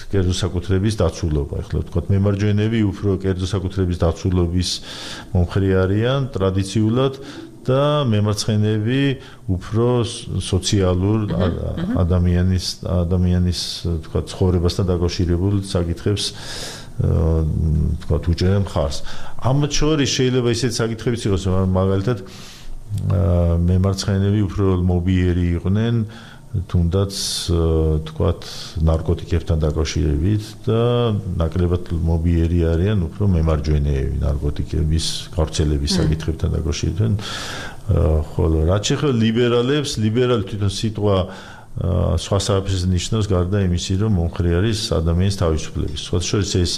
კერძო საკუთრების დაცულობა. ახლა ვთქვათ მემარჯვენეები უფრო კერძო საკუთრების დაცულობის მომხრე არიან ტრადიციულად და მემარცხენეები უფრო სოციალურ ადამიანის ვთქვათ ცხოვრებასთან დაკავშირებულ საკითხებს ვთქვათ უჭერენ მხარს. ამათ შორის შეიძლება ისეთი საკითხებიც იყოს, მაგალითად მემარცხენეები უფრო მობიერი იყვნენ თუნდაც თქვათ ნარკოტიკებთან დაკავშირებით და ნაკლებად მობიერი არიან უფრო მემარჯვენეები ნარკოტიკების გავრცელების საკითხებთან დაკავშირებით. ხოლო რაც შეეხება ლიბერალებს, ლიბერალი თვითონ სიტყვა სხვა საფრთხეს ნიშნავს გარდა იმისა, რომ მომხრე არის ადამიანის თავისუფლების. სხვა შორის ეს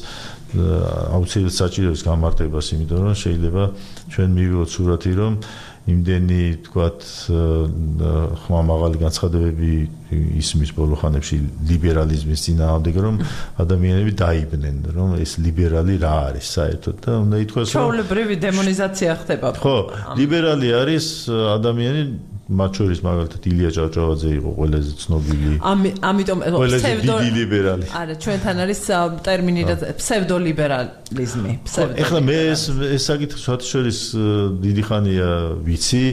აუცილებლად საჭიროებს გამარტებას, იმიტომ რომ შეიძლება ჩვენ მივიღოთ სურათი, რომ იმდენი თქვათ ხმამაღალი განცხადებები ისმის ბოლო ხანებში ლიბერალიზმის წინააღმდეგ, რომ ადამიანები დაიბნენ, რომ ეს ლიბერალი რა არის საერთოდ და უნდა ითქვას, რომ ჩვეულებრივი დემონიზაცია ხდება. ხო, ლიბერალი არის ადამიანი მათ შორის მაგალითად ილია ჭავჭავაძე იყო ყველაზე ცნობილი. ამიტომ დიდი ლიბერალი. არა, ჩვენთან არის ტერმინი ფსევდოლიბერალიზმი. ეხლა მე ეს საკითხი სხვათა შორის დიდი ხანია ვიცი,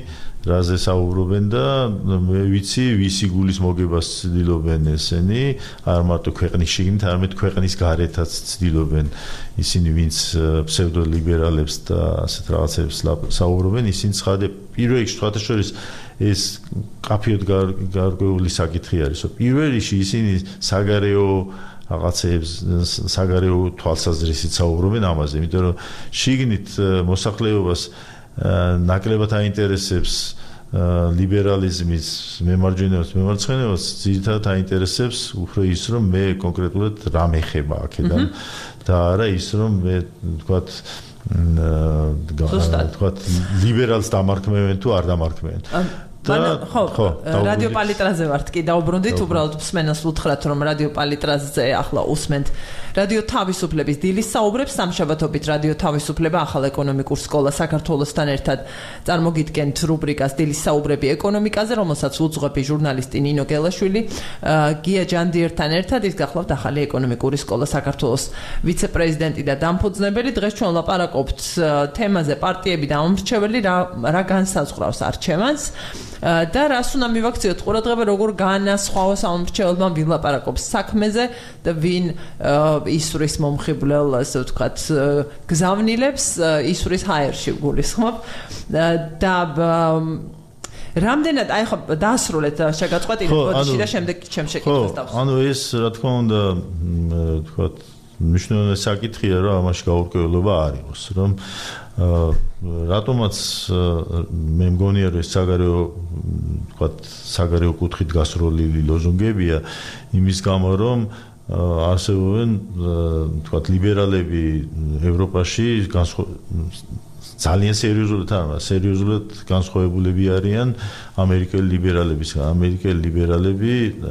რაზე საუბრობენ და მე ვიცი, ვისი გულის მოგებას ცდილობენ ესენი, არ მარტო ქვეყნის შიგნით, არამედ ქვეყნის გარეთაც ცდილობენ ისინი, ვინც ფსევდოლიბერალებს და ასეთ რაღაცებს საუბრობენ, ისინი ცხადე პირველ რიგში სხვათა შორის ეს კაფეოდ გარკვეული საკითხი არის. პირველ რიგში ისინი საგარეო რაღაცებს, საგარეო თვალსაზრისით საუბრობენ ამაზე, იმიტომ რომ შიგნით მოსახლეობას ნაკლებად აინტერესებს ლიბერალიზმის მემარჯვენეობას, მემარცხენეობას, ძირითადად აინტერესებს უფრო ის, რომ მე კონკრეტულად რა მეხება აქედან და არა ის, რომ მე თქვათ ლიბერალს დამარქმევენ თუ არ დამარქმევენ. ხო, რადიო პალიტრაზე ვართ კი დაუბრუნდით, უბრალოდ მსმენელს უთხრათ, რომ რადიო პალიტრაზე ახლა უსმენთ რადიო თავისუფლების დილის საუბრებს. სამშაბათობით რადიო თავისუფლება ახალ ეკონომიკურ სკოლა საქართველოსთან ერთად წარმოგიდგენთ რუბრიკას დილის საუბრები ეკონომიკაზე, რომელსაც უძღვები ჟურნალისტი ნინო გელაშვილი, გია ჯანდიერთან ერთად. ის გახლავთ ახალი ეკონომიკური სკოლა საქართველოს ვიცე-პრეზიდენტი და დამფუძნებელი. დღეს ჩვენ ლაპარაკობთ თემაზე პარტიები და ამომრჩეველი რა განსაზღვრავს არჩევანს. და რას უნდა მივაქციოთ ყურადღება როგორ განასხვაო სამომრჩეველმა ვინ ლაპარაკობს საქმეზე და ვინ ისურის მომხიბვლელ ასე ვთქვათ გზავნილებს ისურის ჰაერში გულისხმობ და რამდენად აი ხო დაასრულეთ შეგაწყვეტილებ ბოდიში და შემდეგ ჩემს შეკითხვას დავსვამ. ანუ ეს რა თქმა უნდა ვთქვათ მნიშვნელოვანი საკითხია რომ ამაში გაურკვევლობა არ იყოს რომ რატომაც მე მგონია რომ ეს საგარეო კუთხით გასროლილი ლოზუნგებია იმის გამო რომ არსებობენ ვთქვათ ლიბერალები ევროპაში ძალიან სერიოზულად განსხვავებულები არიან ამერიკელი ლიბერალებისგან.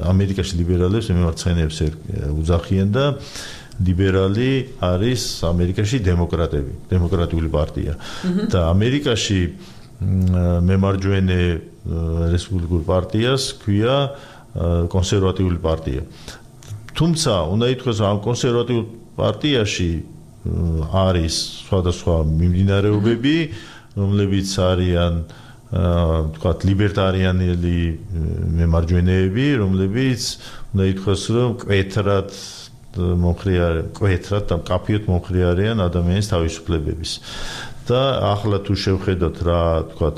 ამერიკაში ლიბერალებს მემარცხენეებს უძახიან და ლიბერალი არის ამერიკაში დემოკრატიული პარტია. და ამერიკაში მემარჯვენე რესპუბლიკურ პარტიას ქვია კონსერვატიული პარტია. თუმცა უნდა ითქვას რომ ამ კონსერვატიულ პარტიაში არის სხვადასხვა მიმდინარეობები, რომლებიც არიან ვთქვათ ლიბერტარიანელი მემარჯვენეები, რომლებიც უნდა ითქვას რომ კვეთრად და მკაფიოდ მომხრე არიან ადამიანის თავისუფლებების. და ახლა თუ შევხედოთ რა ვთქვათ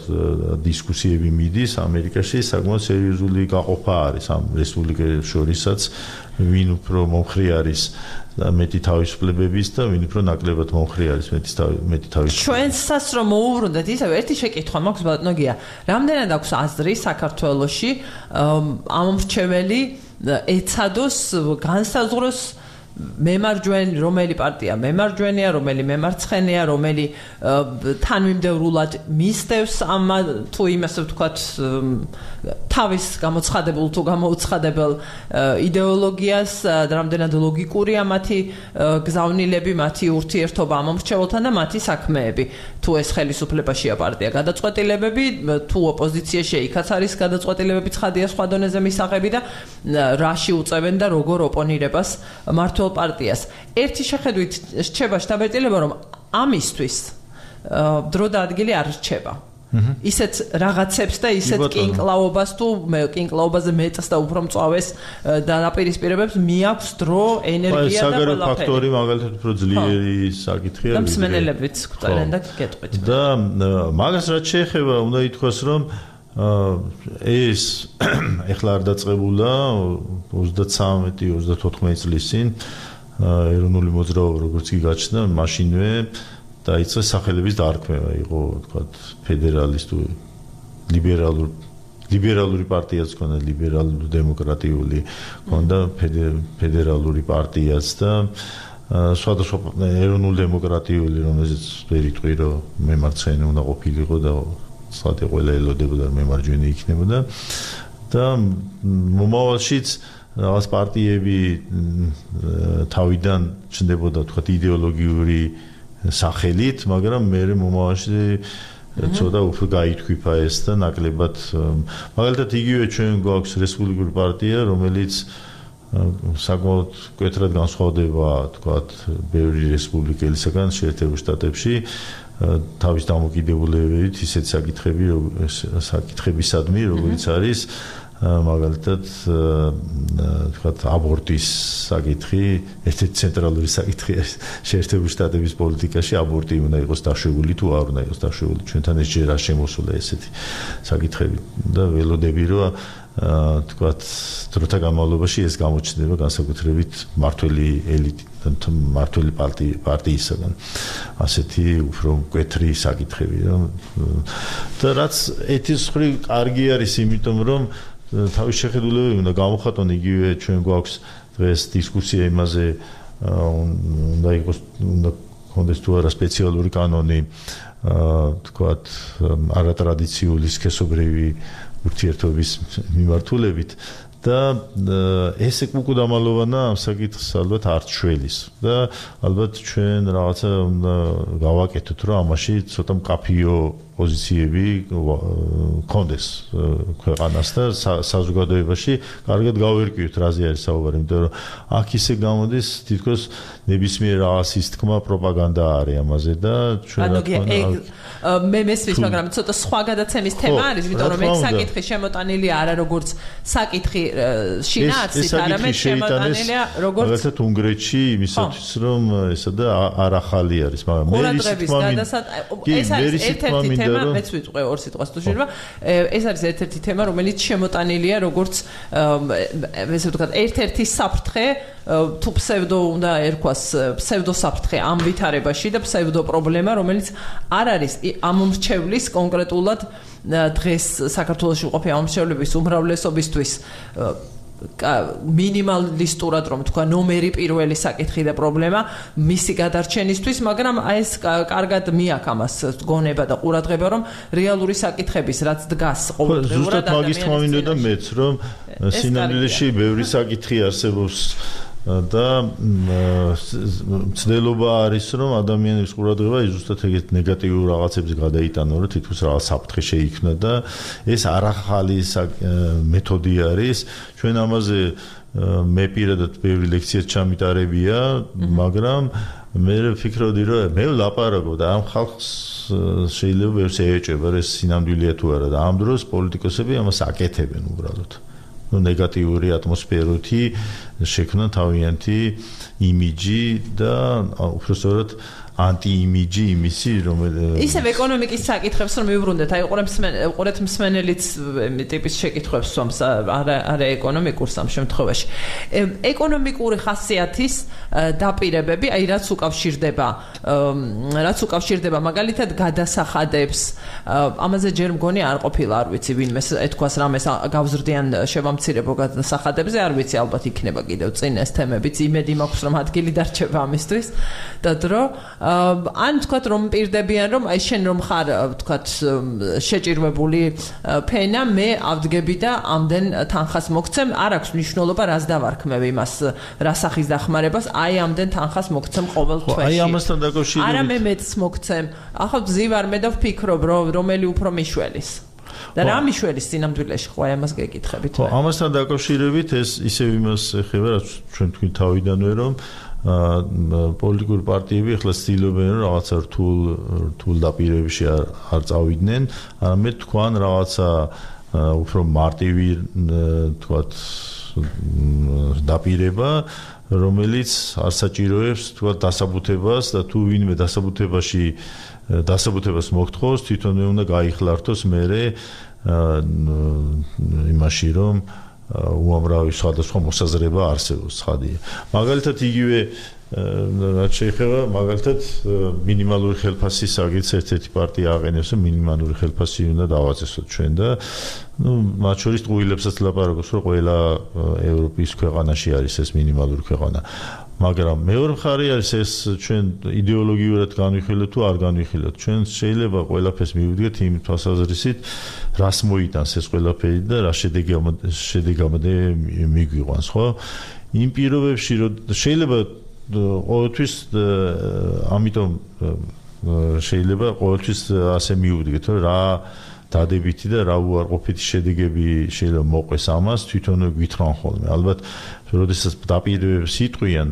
დისკუსიები მიდის ამერიკაში საკმაოდ სერიოზული გაყოფა არის ამ რესპუბლიკელებს შორისაც ვინ უფრო მომხრე არის მეტი თავისუფლებების და ვინ უფრო ნაკლებად მომხრე არის მეტი თავისუფლების. ჩვენსაც რომ მოუბრუნდეთ ისევ ერთი შეკითხვა მაქვს ბატონო გია. რამდენად აქვს აზრი საქართველოში ამომრჩეველი ეცადოს განსაზღვროს მემარჯვენე რომელი პარტია მემარჯვენეა, რომელი მემარცხენეა, რომელი თანმიმდევრულად მისდევს ამ თუ იმასე ვთქვათ თავის გამოცხადებულ თუ გამოუცხადებელ იდეოლოგიას, რამდენად ლოგიკურია მათი გზავნილები, მათი ურთიერთობა ამომრჩეველთან და მათი საქმეები. თუ ეს ხელისუფლებაშია პარტია გადაწყვეტილებები, თუ ოპოზიციაში იქაც არის გადაწყვეტილებები ცხადია სხვა დონეზე მისაღები და რაში უწევენ და როგორ ოპონირებას მართლ პარტიას. ერთი შეხედვით რჩება შთაბეჭდილება რომ ამისთვის დრო და ადგილი არ რჩება. ისეთ რაღაცებს და ისეთ კინკლაობას თუ კინკლაობაზე მეტს და უფრო მწვავეს დაპირისპირებებს მიაქვს დრო, ენერგია და ყველაფერი. საგარეო ფაქტორი მაგალითად უფრო ძლიერი საკითხია. და მსმენელებიც გვწევენ და გეტყვით. და მაგას რაც შეეხება უნდა ითქვას რომ ეს ეხლა არ დაწყებულა 33-34 წლის წინ ეროვნული მოძრაობა როგორც კი გაჩნდა მაშინვე დაიწყეს სახელების დარქმევა იყო ვთქვათ ფედერალისტური ლიბერალური პარტიაც ქონდა ლიბერალური დემოკრატიული ქონდა ფედერალური პარტიაც და სხვადასხვა ეროვნული დემოკრატიული რომელზეც ვერ იტყვი რომ მემარცხენე უნდა ყოფილიყო და სხვათა ყველა ელოდებოდა მემარჯვენე იქნებოდა და მომავალშიც რაღაც პარტიები თავიდან ჩნდებოდა თქვათ იდეოლოგიური სახელით, მაგრამ მე მომავალში ცოტა უფრო გაითქვიფა ეს და ნაკლებად მაგალითად იგივე ჩვენ გვაქვს რესპუბლიკური პარტია, რომელიც საკმაოდ მკვეთრად განსხვავდება თქვათ ბევრი რესპუბლიკელისგან შეერთებულ შტატებში თავის დამოკიდებულებებით ისეთ საკითხებისადმი, როგორც არის მაგალითად თქვათ აბორტის საკითხი, ერთ-ერთი ცენტრალური საკითხი არის შეერთებულ შტატების პოლიტიკაში აბორტი უნდა იყოს დაშვებული თუ არ უნდა იყოს დაშვებული. ჩვენთან ეს ჯერ არ შემოსულა ესეთი საკითხები და ველოდები რომ თქვათ დროთა განმავლობაში ეს გამოჩნდება განსაკუთრებით მართველი ელიტი და მართველი პარტიისგან ასეთი უფრო მკვეთრი საკითხები და რაც ეთის ხრი კარგი არის იმიტომ რომ თავის შეხედულებები უნდა გამოხატონ იგივე ჩვენ გვაქვს დღეს დისკუსია იმაზე უნდა იყოს უნდა კონდეს თუ არა სპეციალური კანონი თქვათ არატრადიციული სქესობრივი ურთიერთობის მიმართულებით და ეს უკუდამალოვანა ამ საკითხს ალბათ არ ჩვენის და ალბათ ჩვენ რაღაცა უნდა გავაკეთოთ რომ ამაში ცოტა მკაფიო პოზიციები კონდეს ქვეყანას და საზოგადოებაში კარგად გავერკვიოთ რაზე არის საუბარი, იმიტომ რომ აქ ისე გამოდის თითქოს ნებისმიერ რაღაცის თქმა პროპაგანდა არის ამაზე და ჩვენ რა თქმა უნდა მე მესმის, მაგრამ ცოტა სხვა გადაცემის თემა არის, იმიტომ რომ ეს საკითხი შემოტანილი არა როგორც საკითხი შინაარსით, არამედ შემოტანილია როგორც მაგალითად უნგრეთში იმისათვის რომ ესა და არ ახალი არის, მაგრამ მე ის თქმა ეს არის ერთ-ერთი თემა, მეც ვიტყვე ორ სიტყვას თუ შეიძლება. ეს არის ერთ-ერთი თემა, რომელიც შემოტანილია როგორც ესე ვთქვათ, ერთ-ერთი საფრთხე თუ ფსევდო უნდა ერქვას ფსევდო საფრთხე ამ ვითარებაში და ფსევდო პრობლემა, რომელიც არ არის ამ მრჩევლის კონკრეტულად დღეს საქართველოში ყოფილი ამ მრჩევლების უმრავლესობისთვის მინიმალისტურად რომ თქვა ნომერი პირველი საკითხი და პრობლემა მისი გადარჩენისთვის, მაგრამ ეს კარგად მიაქვს ამას გონება და ყურადღება, რომ რეალური საკითხების რაც დგას ყოველდღიურად ადამიანის მაგის თქმა მინდოდა მეც, რომ სინამდვილეში ბევრი საკითხი არსებობს და მცდელობა არის რომ ადამიანების ყურადღება ზუსტად ეგეთ ნეგატიურ რაღაცებზე გადაიტანო, რომ თითქოს რაღაც საფრთხე შეიქმნა და ეს არახალი მეთოდი არის. ჩვენ ამაზე მე პირადად ბევრი ლექცია ჩამიტარებია, მაგრამ მე ვფიქრობდი რომ მე ვლაპარაკობ და ამ ხალხს შეიძლება ვერც ეეჭება ეს სინამდვილეა თუ არა და ამ დროს პოლიტიკოსები ამას აკეთებენ უბრალოდ. ნეგატიური ატმოსფეროთი შექმნა თავიანთი იმიჯი და უბრალოდ ანტი-იმიჯი იმისი, რომელიც ისევ ეკონომიკის საკითხებს რომ მივბრუნდეთ, აი ყურეთ მსმენელიც ტიპის შეკითხვებს სვამს, არა ეკონომიკურ სამ შემთხვევაში. ეკონომიკური ხასიათის დაპირებები, აი რაც უკავშირდება მაგალითად გადასახადებს, ამაზე ჯერ მგონი არ ყოფილა, არ ვიცი ვინმე ეთქვას რამეს გავზრდიან შევამცირებო გადასახადებზე, არ ვიცი ალბათ იქნება კიდევ წინ ეს თემებიც, იმედი მაქვს რომ ადგილი დარჩება ამისთვის და დრო ან თქვათ რომ პირდებიან რომ აი შენ რომ ხარ თქვათ შეჭირვებული ფენა, მე ავდგები და ამდენ თანხას მოგცემ, არ აქვს მნიშვნელობა რას დავარქმევ იმას, რა სახის დახმარებას, აი ამდენ თანხას მოგცემ ყოველ თვეში. აი ამასთან დაკავშირებით არა მე მეც მოგცემ. ახლა ვზივარ მე და ვფიქრობ რომელი უფრო მიშველის. და რა მიშველის სინამდვილეში ხო აი ამას გეკითხებით. ხო, ამასთან დაკავშირებით ეს ისევ იმას ეხება, რაც ჩვენ თქვი თავიდანვე რომ პოლიტიკური პარტიები ახლა ცდილობენ რომ რაღაცა რთულ დაპირებებში არ წავიდნენ, არამედ თქვან რაღაცა უფრო მარტივი თქვათ დაპირება, რომელიც არ საჭიროებს თქვათ დასაბუთებას და თუ ვინმე დასაბუთებას მოგთხოვს, თვითონვე უნდა გაიხლართოს მერე იმაში რომ უამრავი სხვადასხვა მოსაზრება არსებობს ცხადია. მაგალითად იგივე რაც შეეხება მაგალითად მინიმალური ხელფასის აგიც ერთ-ერთი პარტია აყენებს, რომ მინიმალური ხელფასი უნდა დავაწესოთ ჩვენ და მათ შორის ტყუილებსაც ლაპარაკობს, რომ ყველა ევროპის ქვეყანაში არის ეს მინიმალური ქვეყანა. მაგრამ მეორე მხარე არის ეს ჩვენ იდეოლოგიურად განვიხილოთ თუ არ განვიხილოთ. ჩვენ შეიძლება ყველაფერს მივიდგეთ იმ თვალსაზრისით, რას მოიტანს ეს ყველაფერი და რა შედეგამდე მიგვიყვანს, ხო? იმ პირობებში რომ შეიძლება ყოველთვის ამიტომ შეიძლება ყოველთვის ასე მივიდგეთ, რომ რა დადებითი და რა უარყოფითი შედეგები შეიძლება მოყვეს ამას, თვითონ გვითხრან ხოლმე. ალბათ, როდესაც დაპირებებს იტყვიან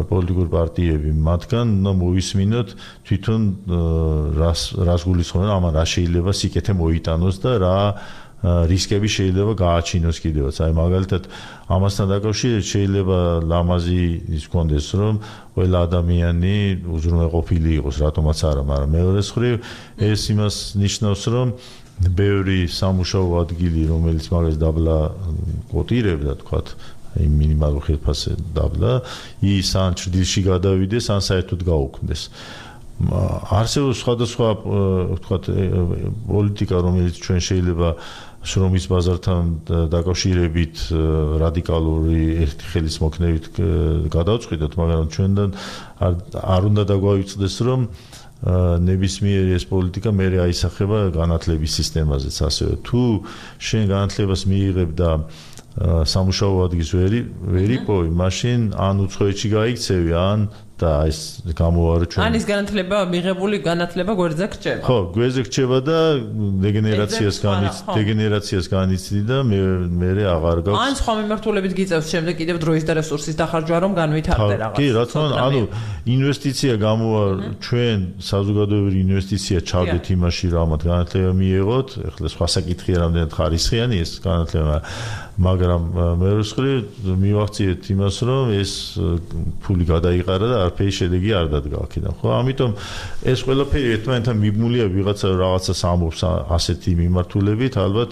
პოლიტიკური პარტიები, მათგან უნდა მოვისმინოთ თვითონ რას გულისხმობენ, ამან რა შეიძლება სიკეთე მოიტანოს და რა რისკები შეიძლება გააჩინოს კიდევაც. აი მაგალითად ამასთან დაკავშირებით შეიძლება ლამაზი ის გქონდეს, რომ ყველა ადამიანი უზრუნველყოფილი იყოს, რატომაც არა, მაგრამ მეორე მხრივ ეს იმას ნიშნავს, რომ ბევრი სამუშაო ადგილი, რომელიც მაგას დაბლა კოტირებდა, თქვათ, იმ მინიმალურ ხელფასზე დაბლა, ის ან ჭრილში გადავიდეს, ან საერთოდ გაუქმდეს. არსებობს სხვადასხვა, თქვათ, პოლიტიკა, რომელიც ჩვენ შეიძლება შრომის ბაზართან დაკავშირებით რადიკალური ერთი ხელის მოქნევით გადავწყვიტოთ, მაგრამ ჩვენთან არ უნდა დაგვაიწყდეს, რომ ნებისმიერი ეს პოლიტიკა მერე აისახება განათლების სისტემაზეც ასევე. თუ შენ განათლებას მიიღებ და სამუშაო ადგილს ვერ იპოვი, მაშინ ან უცხოეთში გაიქცევი, ან და ეს გამოარო ჩვენ. ანის განათლება მიღებული განათლება გვერდზე გრჩება. ხო, გვერდზე გრჩება და დეგენერაციას განიცდი და მე აღარ გაქვს. ან სხვა მიმართულებით გიწევს შემდეგ კიდევ დროის და რესურსის დახარჯვა რომ განვითარდე რაღაც. კი, რა თქმა უნდა, ანუ ინვესტიცია გამოვა ჩვენ საზოგადოებრივი ინვესტიცია ჩავდეთ იმაში რომ ამათ განათლება მიიღოთ. ეხლა სხვა საკითხია რამდენად ხარისხიანი ეს განათლება, მაგრამ მეორე მხრივ მივახციეთ იმას რომ ეს ფული გადაიყარა და არაფერი შედეგი არ დადგა აქედან. ხო, ამიტომ ეს ყველაფერი ერთმანეთთან მიბმულია ვიღაცა რაღაცას ამბობს ასეთი მიმართულებით, ალბათ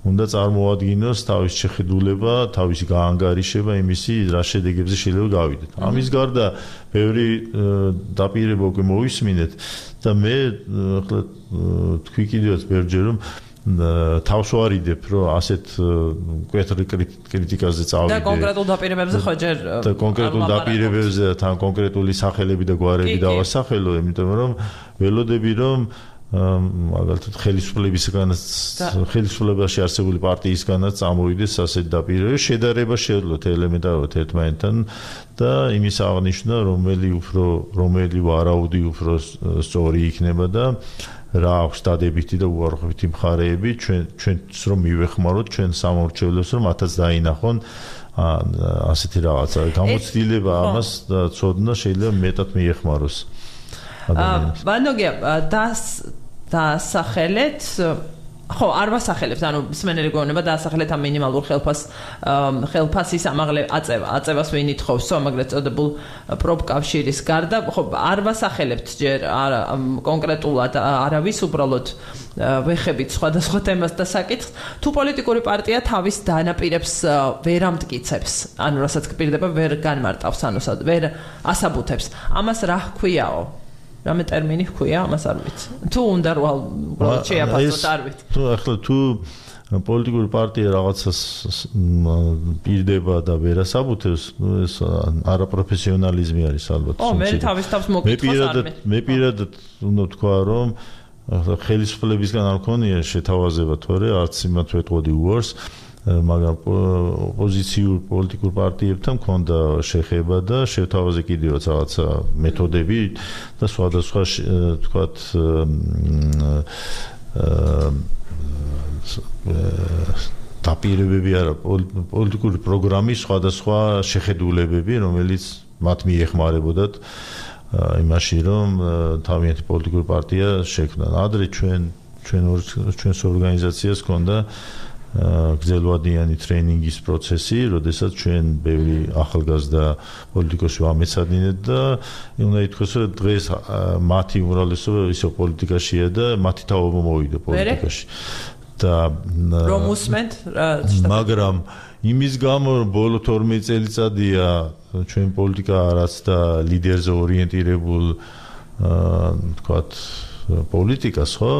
უნდა წარმოადგინოს თავის შეხედულება, თავისი გაანგარიშება იმისი რა შედეგებზე შეიძლება გავიდეთ. ამის გარდა ბევრი დაპირება უკვე მოვისმინეთ და მე ახლა თქვი კიდევაც ბევრჯერ რომ თავს ვარიდებ რომ ასეთ მკვეთრი კრიტიკაზე წავიდე და კონკრეტულ დაპირებებზე ხო ჯერ და კონკრეტულ დაპირებებზე თან კონკრეტული სახელები და გვარები დავასახელო, იმიტომ რომ ველოდები რომ მაგალითად ხელისუფლებაში არსებული პარტიისგანაც წამოვიდეს ასეთ დაპირებები, შედარება შეძლოთ ელემენტარულად ერთმანეთთან და იმის აღნიშვნა რომელი ვარაუდი უფრო სწორი იქნება და რა აქვს დადებითი და უარყოფითი მხარეები ჩვენც რომ მივეხმაროთ ჩვენ სამორჩევლებს რომ მათაც დაინახონ ასეთი რაღაცა გამოცდილება ამას და ცოდნა შეიძლება მეტად მიეხმაროს ადამიანებს. ბანოგია დასახელეთ ხო, არ ვასახელებთ, ანუ მსმენელი გვეუბნება დაასახელეთ ამ მინიმალურ ხელფასის აწევას ვინ ითხოვს, ამაგრეთ წოდებულ პროფკავშირის გარდა, ხო, არ ვასახელებთ ჯერ კონკრეტულად არავის, უბრალოდ ვეხებით სხვადასხვა თემას და საკითხს. თუ პოლიტიკური პარტია თავის დანაპირებს ვერ ამტკიცებს, ანუ რასაც გპირდება ვერ განმარტავს, ანუ ვერ ასაბუთებს, ამას რა ჰქვიაო? რამე ტერმინი ჰქვია, ამას არ ვიცი. თუ უნდა უბრალოდ შეაფასოთ, არ ვიცი. თუ პოლიტიკური პარტია რაღაცას პირდება და ვერ ასაბუთებს, ეს არაპროფესიონალიზმი არის ალბათ. მე თავის თავს მოგკითხავს არ მე პირადად უნდა თქვა, რომ ხელისუფლებისგან არ მქონია შეთავაზება თორე არც იმათ ვეტყოდი უარს, მაგრამ ოპოზიციურ პოლიტიკურ პარტიებთან მქონდა შეხება და შეთავაზე კიდევაც რაღაცა მეთოდები და სხვადასხვა თქვათ დაპირებები არა პოლიტიკური პროგრამის სხვადასხვა შეხედულებები, რომელიც მათ მიეხმარებოდათ იმაში, რომ თავიანთი პოლიტიკური პარტია შექმნა. ადრე ჩვენს ორგანიზაციას ჰქონდა გრძელვადიანი ტრეინინგის პროცესი, როდესაც ჩვენ ბევრი ახალგაზრდა პოლიტიკოსი ვამეცადინეთ და უნდა ითქვას, რომ დღეს მათი უმრავლესობა ისო პოლიტიკაშია და მათი თაობა მოვიდა პოლიტიკაში. და რომ უსმენთ, მაგრამ იმის გამო რომ ბოლო 12 წელიწადია ჩვენ პოლიტიკა არაც და ლიდერზე ორიენტირებულ თქვათ პოლიტიკას, ხო?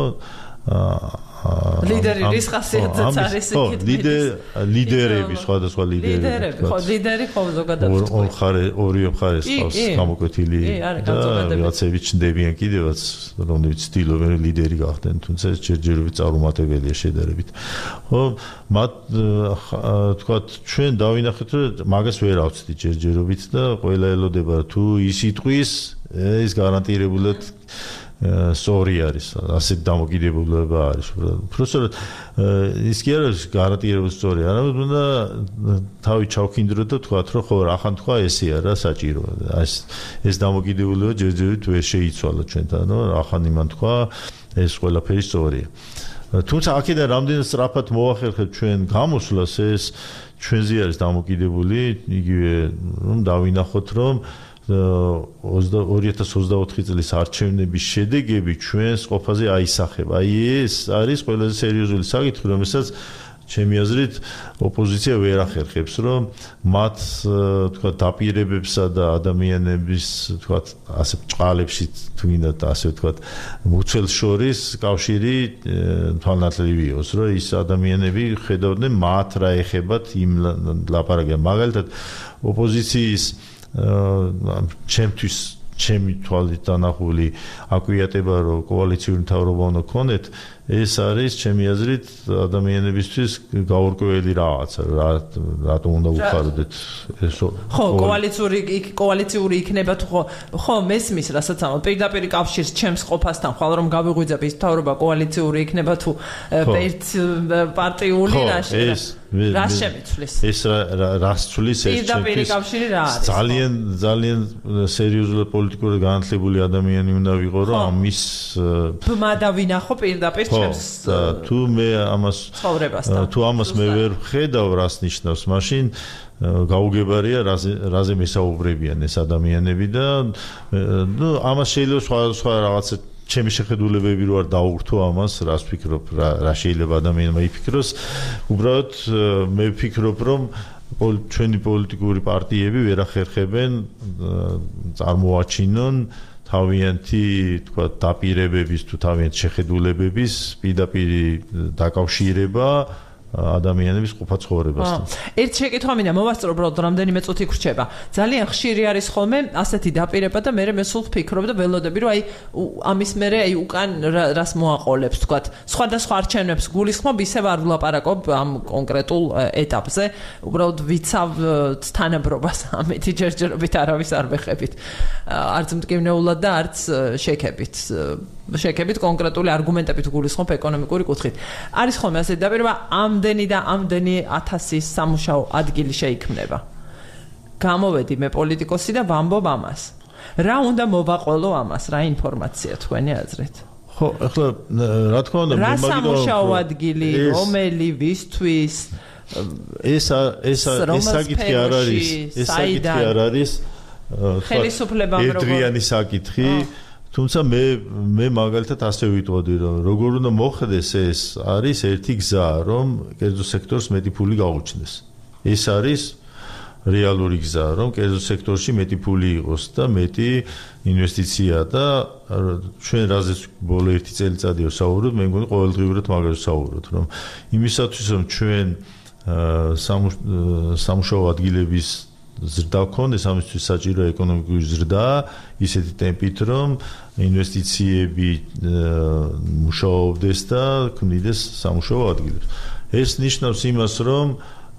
ლიდერი რის ხასიათზეც არის იქით. ლიდერები, სხვადასხვა ლიდერები. ხო, ლიდერი ხო ზოგადად. ორი მხარეს ყავს გამოკვეთილი და რაღაცები ჩნდებიან კიდევაც, რომლებიც ცდილობენ ლიდერი გახდნენ, თუმცა ეს ჯერჯერობით წარუმატებელია შედარებით. ხო, მათ თქვათ ჩვენ დავინახეთ, რომ მაგას ვერ ავწდი ჯერჯერობით და ყველა ელოდება თუ ის იტყვის, ეს გარანტირებულად სწორი არის, ასეთ დამოკიდებულება არის. უბრალოდ ის კი არის გარანტირებული სწორი, არამედ უნდა თავი ჩავქინდრო და თქვათ, რომ ხო, ახან თქვა ესეა რა საჭირო. ეს დამოკიდებულება ჯერჯერობით ვერ შეიცვალა ჩვენთან, რომ ახან იმან თქვა, ეს ყველაფერი სწორია. თუმცა აქედან რამდენად სწრაფად მოახერხებთ ჩვენ გამოსვლას, ეს ჩვენზე არის დამოკიდებული, იგივე რომ დავინახოთ, რომ 2024 წლის არჩევნების შედეგები ჩვენს ყოფაზე აისახება. ეს არის ყველაზე სერიოზული საკითხი, რომელსაც ჩემი აზრით ოპოზიცია ვერ ახერხებს, რომ მათ თქვა დაპირებებსა და ადამიანების თქვა ასე ბჭყალებში თუნდაც ასე თქვა მუცელს შორის კავშირი თვალნათლივი იყოს, რომ ის ადამიანები ხედავდნენ მათ რა ეხებათ იმ ლაპარაკია. მაგალითად ოპოზიციის ჩემთვის ჩემი თვალით დანახული აკვიატება, რომ კოალიციური მთავრობა უნდა ქონდეთ, ეს არის ჩემი აზრით ადამიანებისთვის გაურკვეველი რაღაცა, რატომ უნდა უხარდეთ ეს ხო, კოალიციური იქნება თუ ხო, მესმის, რასაც ამბობ, პირდაპირ კავშირს ჩემს ყოფასთან ხვალ რომ გავიღვიძებ ის მთავრობა კოალიციური იქნება თუ ერთ პარტიული რა შემიცვლის? ეს რას ცვლის ეს პირდაპირ კავშირი რა არის? ძალიან სერიოზულად პოლიტიკურად განათლებული ადამიანი უნდა ვიყო, რომ ამის ბმა დავინახო პირდაპირ ჩემს თუ მე ამას მე ვერ ხედავ რას ნიშნავს, მაშინ გაუგებარია რაზე მესაუბრებიან ეს ადამიანები და ამას შეიძლება სხვა რაღაცა ჩემი შეხედულებები რო არ დაურთო ამას, რას ვფიქრობ, რა შეიძლება ადამიანმა იფიქროს. უბრალოდ მე ვფიქრობ, რომ ჩვენი პოლიტიკური პარტიები ვერ ახერხებენ წარმოაჩინონ თავიანთი, თქვა, დაპირებების თუ თავიანთი შეხედულებების პირდაპირ დაკავშირება ადამიანების ყოფა ცხოვრებასთან. ერთ შეკითხვა მინდა მოვასწრო, უბრალოდ რამდენიმე წუთი გრჩება. ძალიან ხშირი არის ხოლმე ასეთი დაპირება და მე სულ ვფიქრობ და ველოდები, რომ ამის მერე უკან რას მოაყოლებს, თქვა, სხვადასხვა არჩევნებს გულისხმობ, ისევ არ ვლაპარაკობ ამ კონკრეტულ ეტაპზე. უბრალოდ ვიცავ თანაბრობას ამეთი ჯერჯერობით არავის არ ვეხებით. არც მტკივნეულად და არც შეკებით კონკრეტული არგუმენტებით გულისხმობ ეკონომიკური კუთხით. არის ხოლმე ასეთი დაპირება ამდენი და ამდენი 1000 სამუშაო ადგილი შეიქმნება. გამოვედი მე პოლიტიკოსი და ვამბობ ამას. რა უნდა მოვაყოლო ამას, რა ინფორმაცია თქვენი აზრით? ხო, ახლა რა თქმა უნდა, რა სამუშაო ადგილი, რომელი, ვისთვის? ეს საკითხი არ არის, ეს საკითხი არ არის ხელისუფლებამ ერთდღიანი საკითხი. თუმცა მე მაგალითად ასე ვიტყოდი, რომ როგორ უნდა მოხდეს ეს არის ერთი გზა, რომ კერძო სექტორს მეტი ფული გაუჩნდეს. ეს არის რეალური გზა, რომ კერძო სექტორში მეტი ფული იყოს და მეტი ინვესტიცია და ჩვენ რაზეც ბოლო 1 წელიწადია ვსაუბრობთ, მე მგონი ყოველდღიურად მაგაზე ვსაუბრობთ, რომ იმისათვის რომ ჩვენ სამუშაო ადგილების ზრდა გქონდეს, ამისთვის საჭიროა ეკონომიკური ზრდა, ისეთი ტემპით, რომ ინვესტიციები მუშაობდეს და ქმნიდეს სამუშაო ადგილებს. ეს ნიშნავს იმას, რომ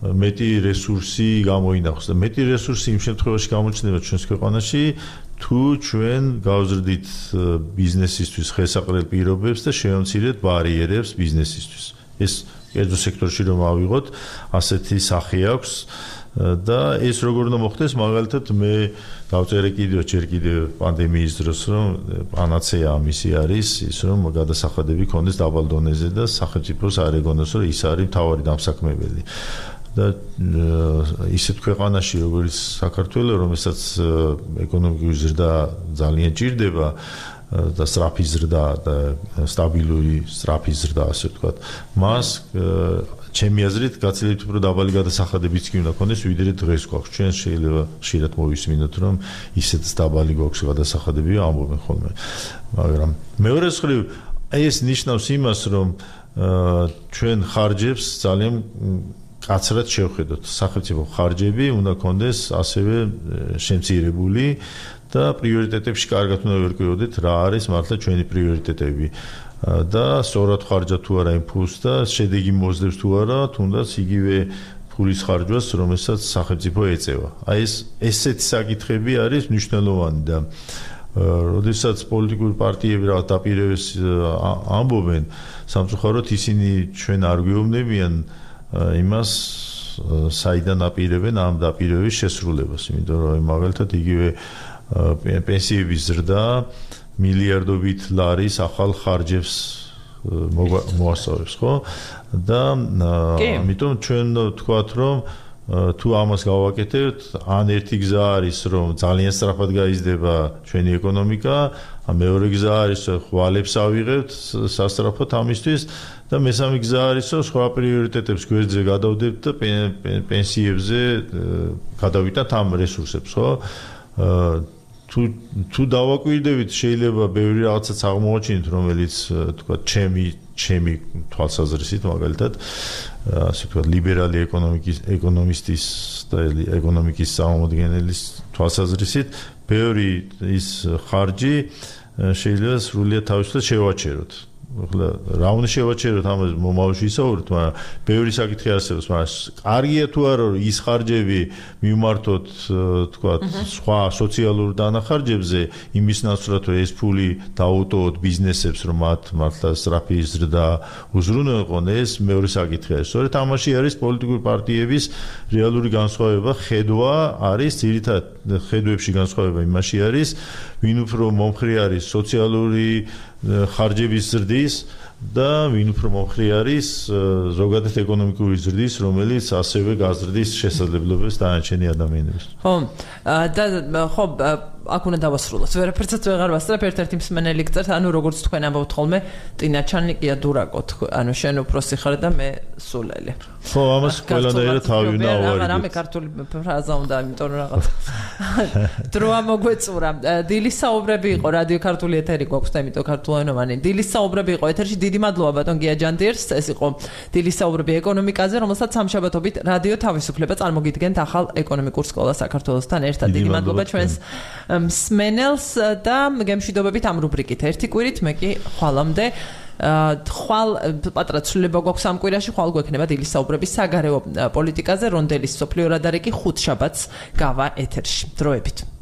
მეტი რესურსი გამოინახოს და მეტი რესურსი იმ შემთხვევაში გამოჩნდება ჩვენს ქვეყანაში, თუ ჩვენ გავზრდით ბიზნესისთვის ხელსაყრელ პირობებს და შევამცირეთ ბარიერებს ბიზნესისთვის. ეს კერძო სექტორში რომ ავიღოთ, ასეთი სახე აქვს და ეს როგორ უნდა მოხდეს, მაგალითად მე დავწერე ჯერ კიდევ პანდემიის დროს, რომ პანაცეა ამისი არის ის, რომ გადასახადები ქონდეს დაბალ დონეზე და სახელმწიფოს არ ეგონოს, რომ ის არის მთავარი დამსაქმებელი. და ისეთ ქვეყანაში, როგორც საქართველო, რომელსაც ეკონომიკური ზრდა ძალიან ჭირდება და სწრაფი ზრდა და სტაბილური სწრაფი ზრდა, ასე ვთქვათ, მას ჩემი აზრით გაცილებით უფრო დაბალი გადასახადებიც კი უნდა ქონდეს, ვიდრე დღეს გვაქვს. ჩვენ შეიძლება ხშირად მოვისმინოთ, რომ ისეთ დაბალი გვაქვს გადასახადები, ამბობენ ხოლმე. მაგრამ მეორე მხრივ, ეს ნიშნავს იმას, რომ ჩვენ ხარჯებს ძალიან კაცრად შევხედოთ. სახელმწიფო ხარჯები უნდა ქონდეს ასევე შემცირებული და პრიორიტეტებში კარგად უნდა ვერკვიოდეთ, რა არის მართლა ჩვენი პრიორიტეტები. და სწორად ხარჯა თუ არა იმ ფულს და შედეგი მოძებს თუ არა, თუნდაც იგივე ფულის ხარჯვას, რომელსაც სახელმწიფო ეწევა. აი ესეთი საკითხები არის მნიშვნელოვანი და როდესაც პოლიტიკური პარტიები რაღაც დაპირებებს ამბობენ, სამწუხაროდ ისინი ჩვენ არ გვეუბნებიან იმას, საიდან აპირებენ ამ დაპირებების შესრულებას, იმიტომ რომ მაგალითად იგივე პენსიების ზრდა მილიარდობით ლარის ახალ ხარჯებს მოასწავებს, ხო? და ამიტომ ჩვენ ვთქვათ, რომ თუ ამას გავაკეთებთ, ან ერთი გზა არის, რომ ძალიან სწრაფად გაიზრდება ჩვენი ეკონომიკა, ან მეორე გზა არის, რომ ხვალებს ავიღებთ სასწრაფოდ ამისთვის და მესამე გზა არის, რომ სხვა პრიორიტეტებს გვერდზე გადავდებთ და პენსიებზე გადავიტანთ ამ რესურსებს, ხო? თუ დავაკვირდებით, შეიძლება ბევრი რაღაცაც აღმოაჩინოთ, რომელიც თქვა ჩემი თვალსაზრისით, მაგალითად, ასე ვთქვათ, ლიბერალი ეკონომისტის და ეკონომიკის წარმომადგენლის თვალსაზრისით, ბევრი ის ხარჯი შეიძლება სრულიად თავისუფლად შევაჩეროთ. რა უნდა შევაჩეროთ ამაზე მომავალში ისაუბროთ, მაგრამ ბევრი საკითხი არსებობს, მაგრამ კარგია თუ არა რომ ის ხარჯები მიმართოთ თქვა სხვა სოციალურ დანახარჯებზე იმის ნაცვლად რომ ეს ფული დაუტოვოთ ბიზნესებს რომ მათ მართლა სწრაფი ზრდა უზრუნველყონ ეს მეორე საკითხია. სწორედ ამაში არის პოლიტიკური პარტიების რეალური განსხვავება, ხედვა არის ძირითადად ხედვებში განსხვავება იმაში არის ვინ უფრო მომხრე არის სოციალური ხარჯების ზრდის და ვინ უფრო მომხრე არის ზოგადად ეკონომიკური ზრდის, რომელიც ასევე გაზრდის შესაძლებლობებს დანარჩენი ადამიანებს. ხო, და ხო აქ უნდა დავასრულოთ. ვერაფერსაც ვეღარ ვასწრებ, ერთ-ერთი მსმენელი გწერთ, ანუ როგორც თქვენ ამბობთ ხოლმე, ტინა ჩანიკია დურაკო, ანუ შენ უფროსი ხარ და მე სულელი. ხო, ამას ყველანაირად თავი უნდა ავარიდოთ. რამე ქართული ფრაზა უნდა, იმიტომ რომ რაღაც დროა მოგვეწურა. დილის საუბრები იყო რადიო ქართული ეთერი გვაქვს და იმიტომ ქართულენოვანი. დილის საუბრები იყო ეთერში. დიდი მადლობა ბატონ გია ჯანდიერს. ეს იყო დილის საუბრები ეკონომიკაზე, რომელსაც სამშაბათობით რადიო თავისუფლება წარმოგიდგენთ ახალ ეკონომიკურ სკოლას საქართველოსთან ერთად. დიდი მადლობა ჩვენს მსმენელს და გემშვიდობებით ამ რუბრიკით. ერთი კვირით მე კი ხვალამდე ხვალ პატრა ცვლილება გვაქვს ამ კვირაში, ხვალ გვექნება დილის საუბრების საგარეო პოლიტიკაზე, რონდელის სოფლიო რადარი კი ხუთშაბათს გავა ეთერში. დროებით.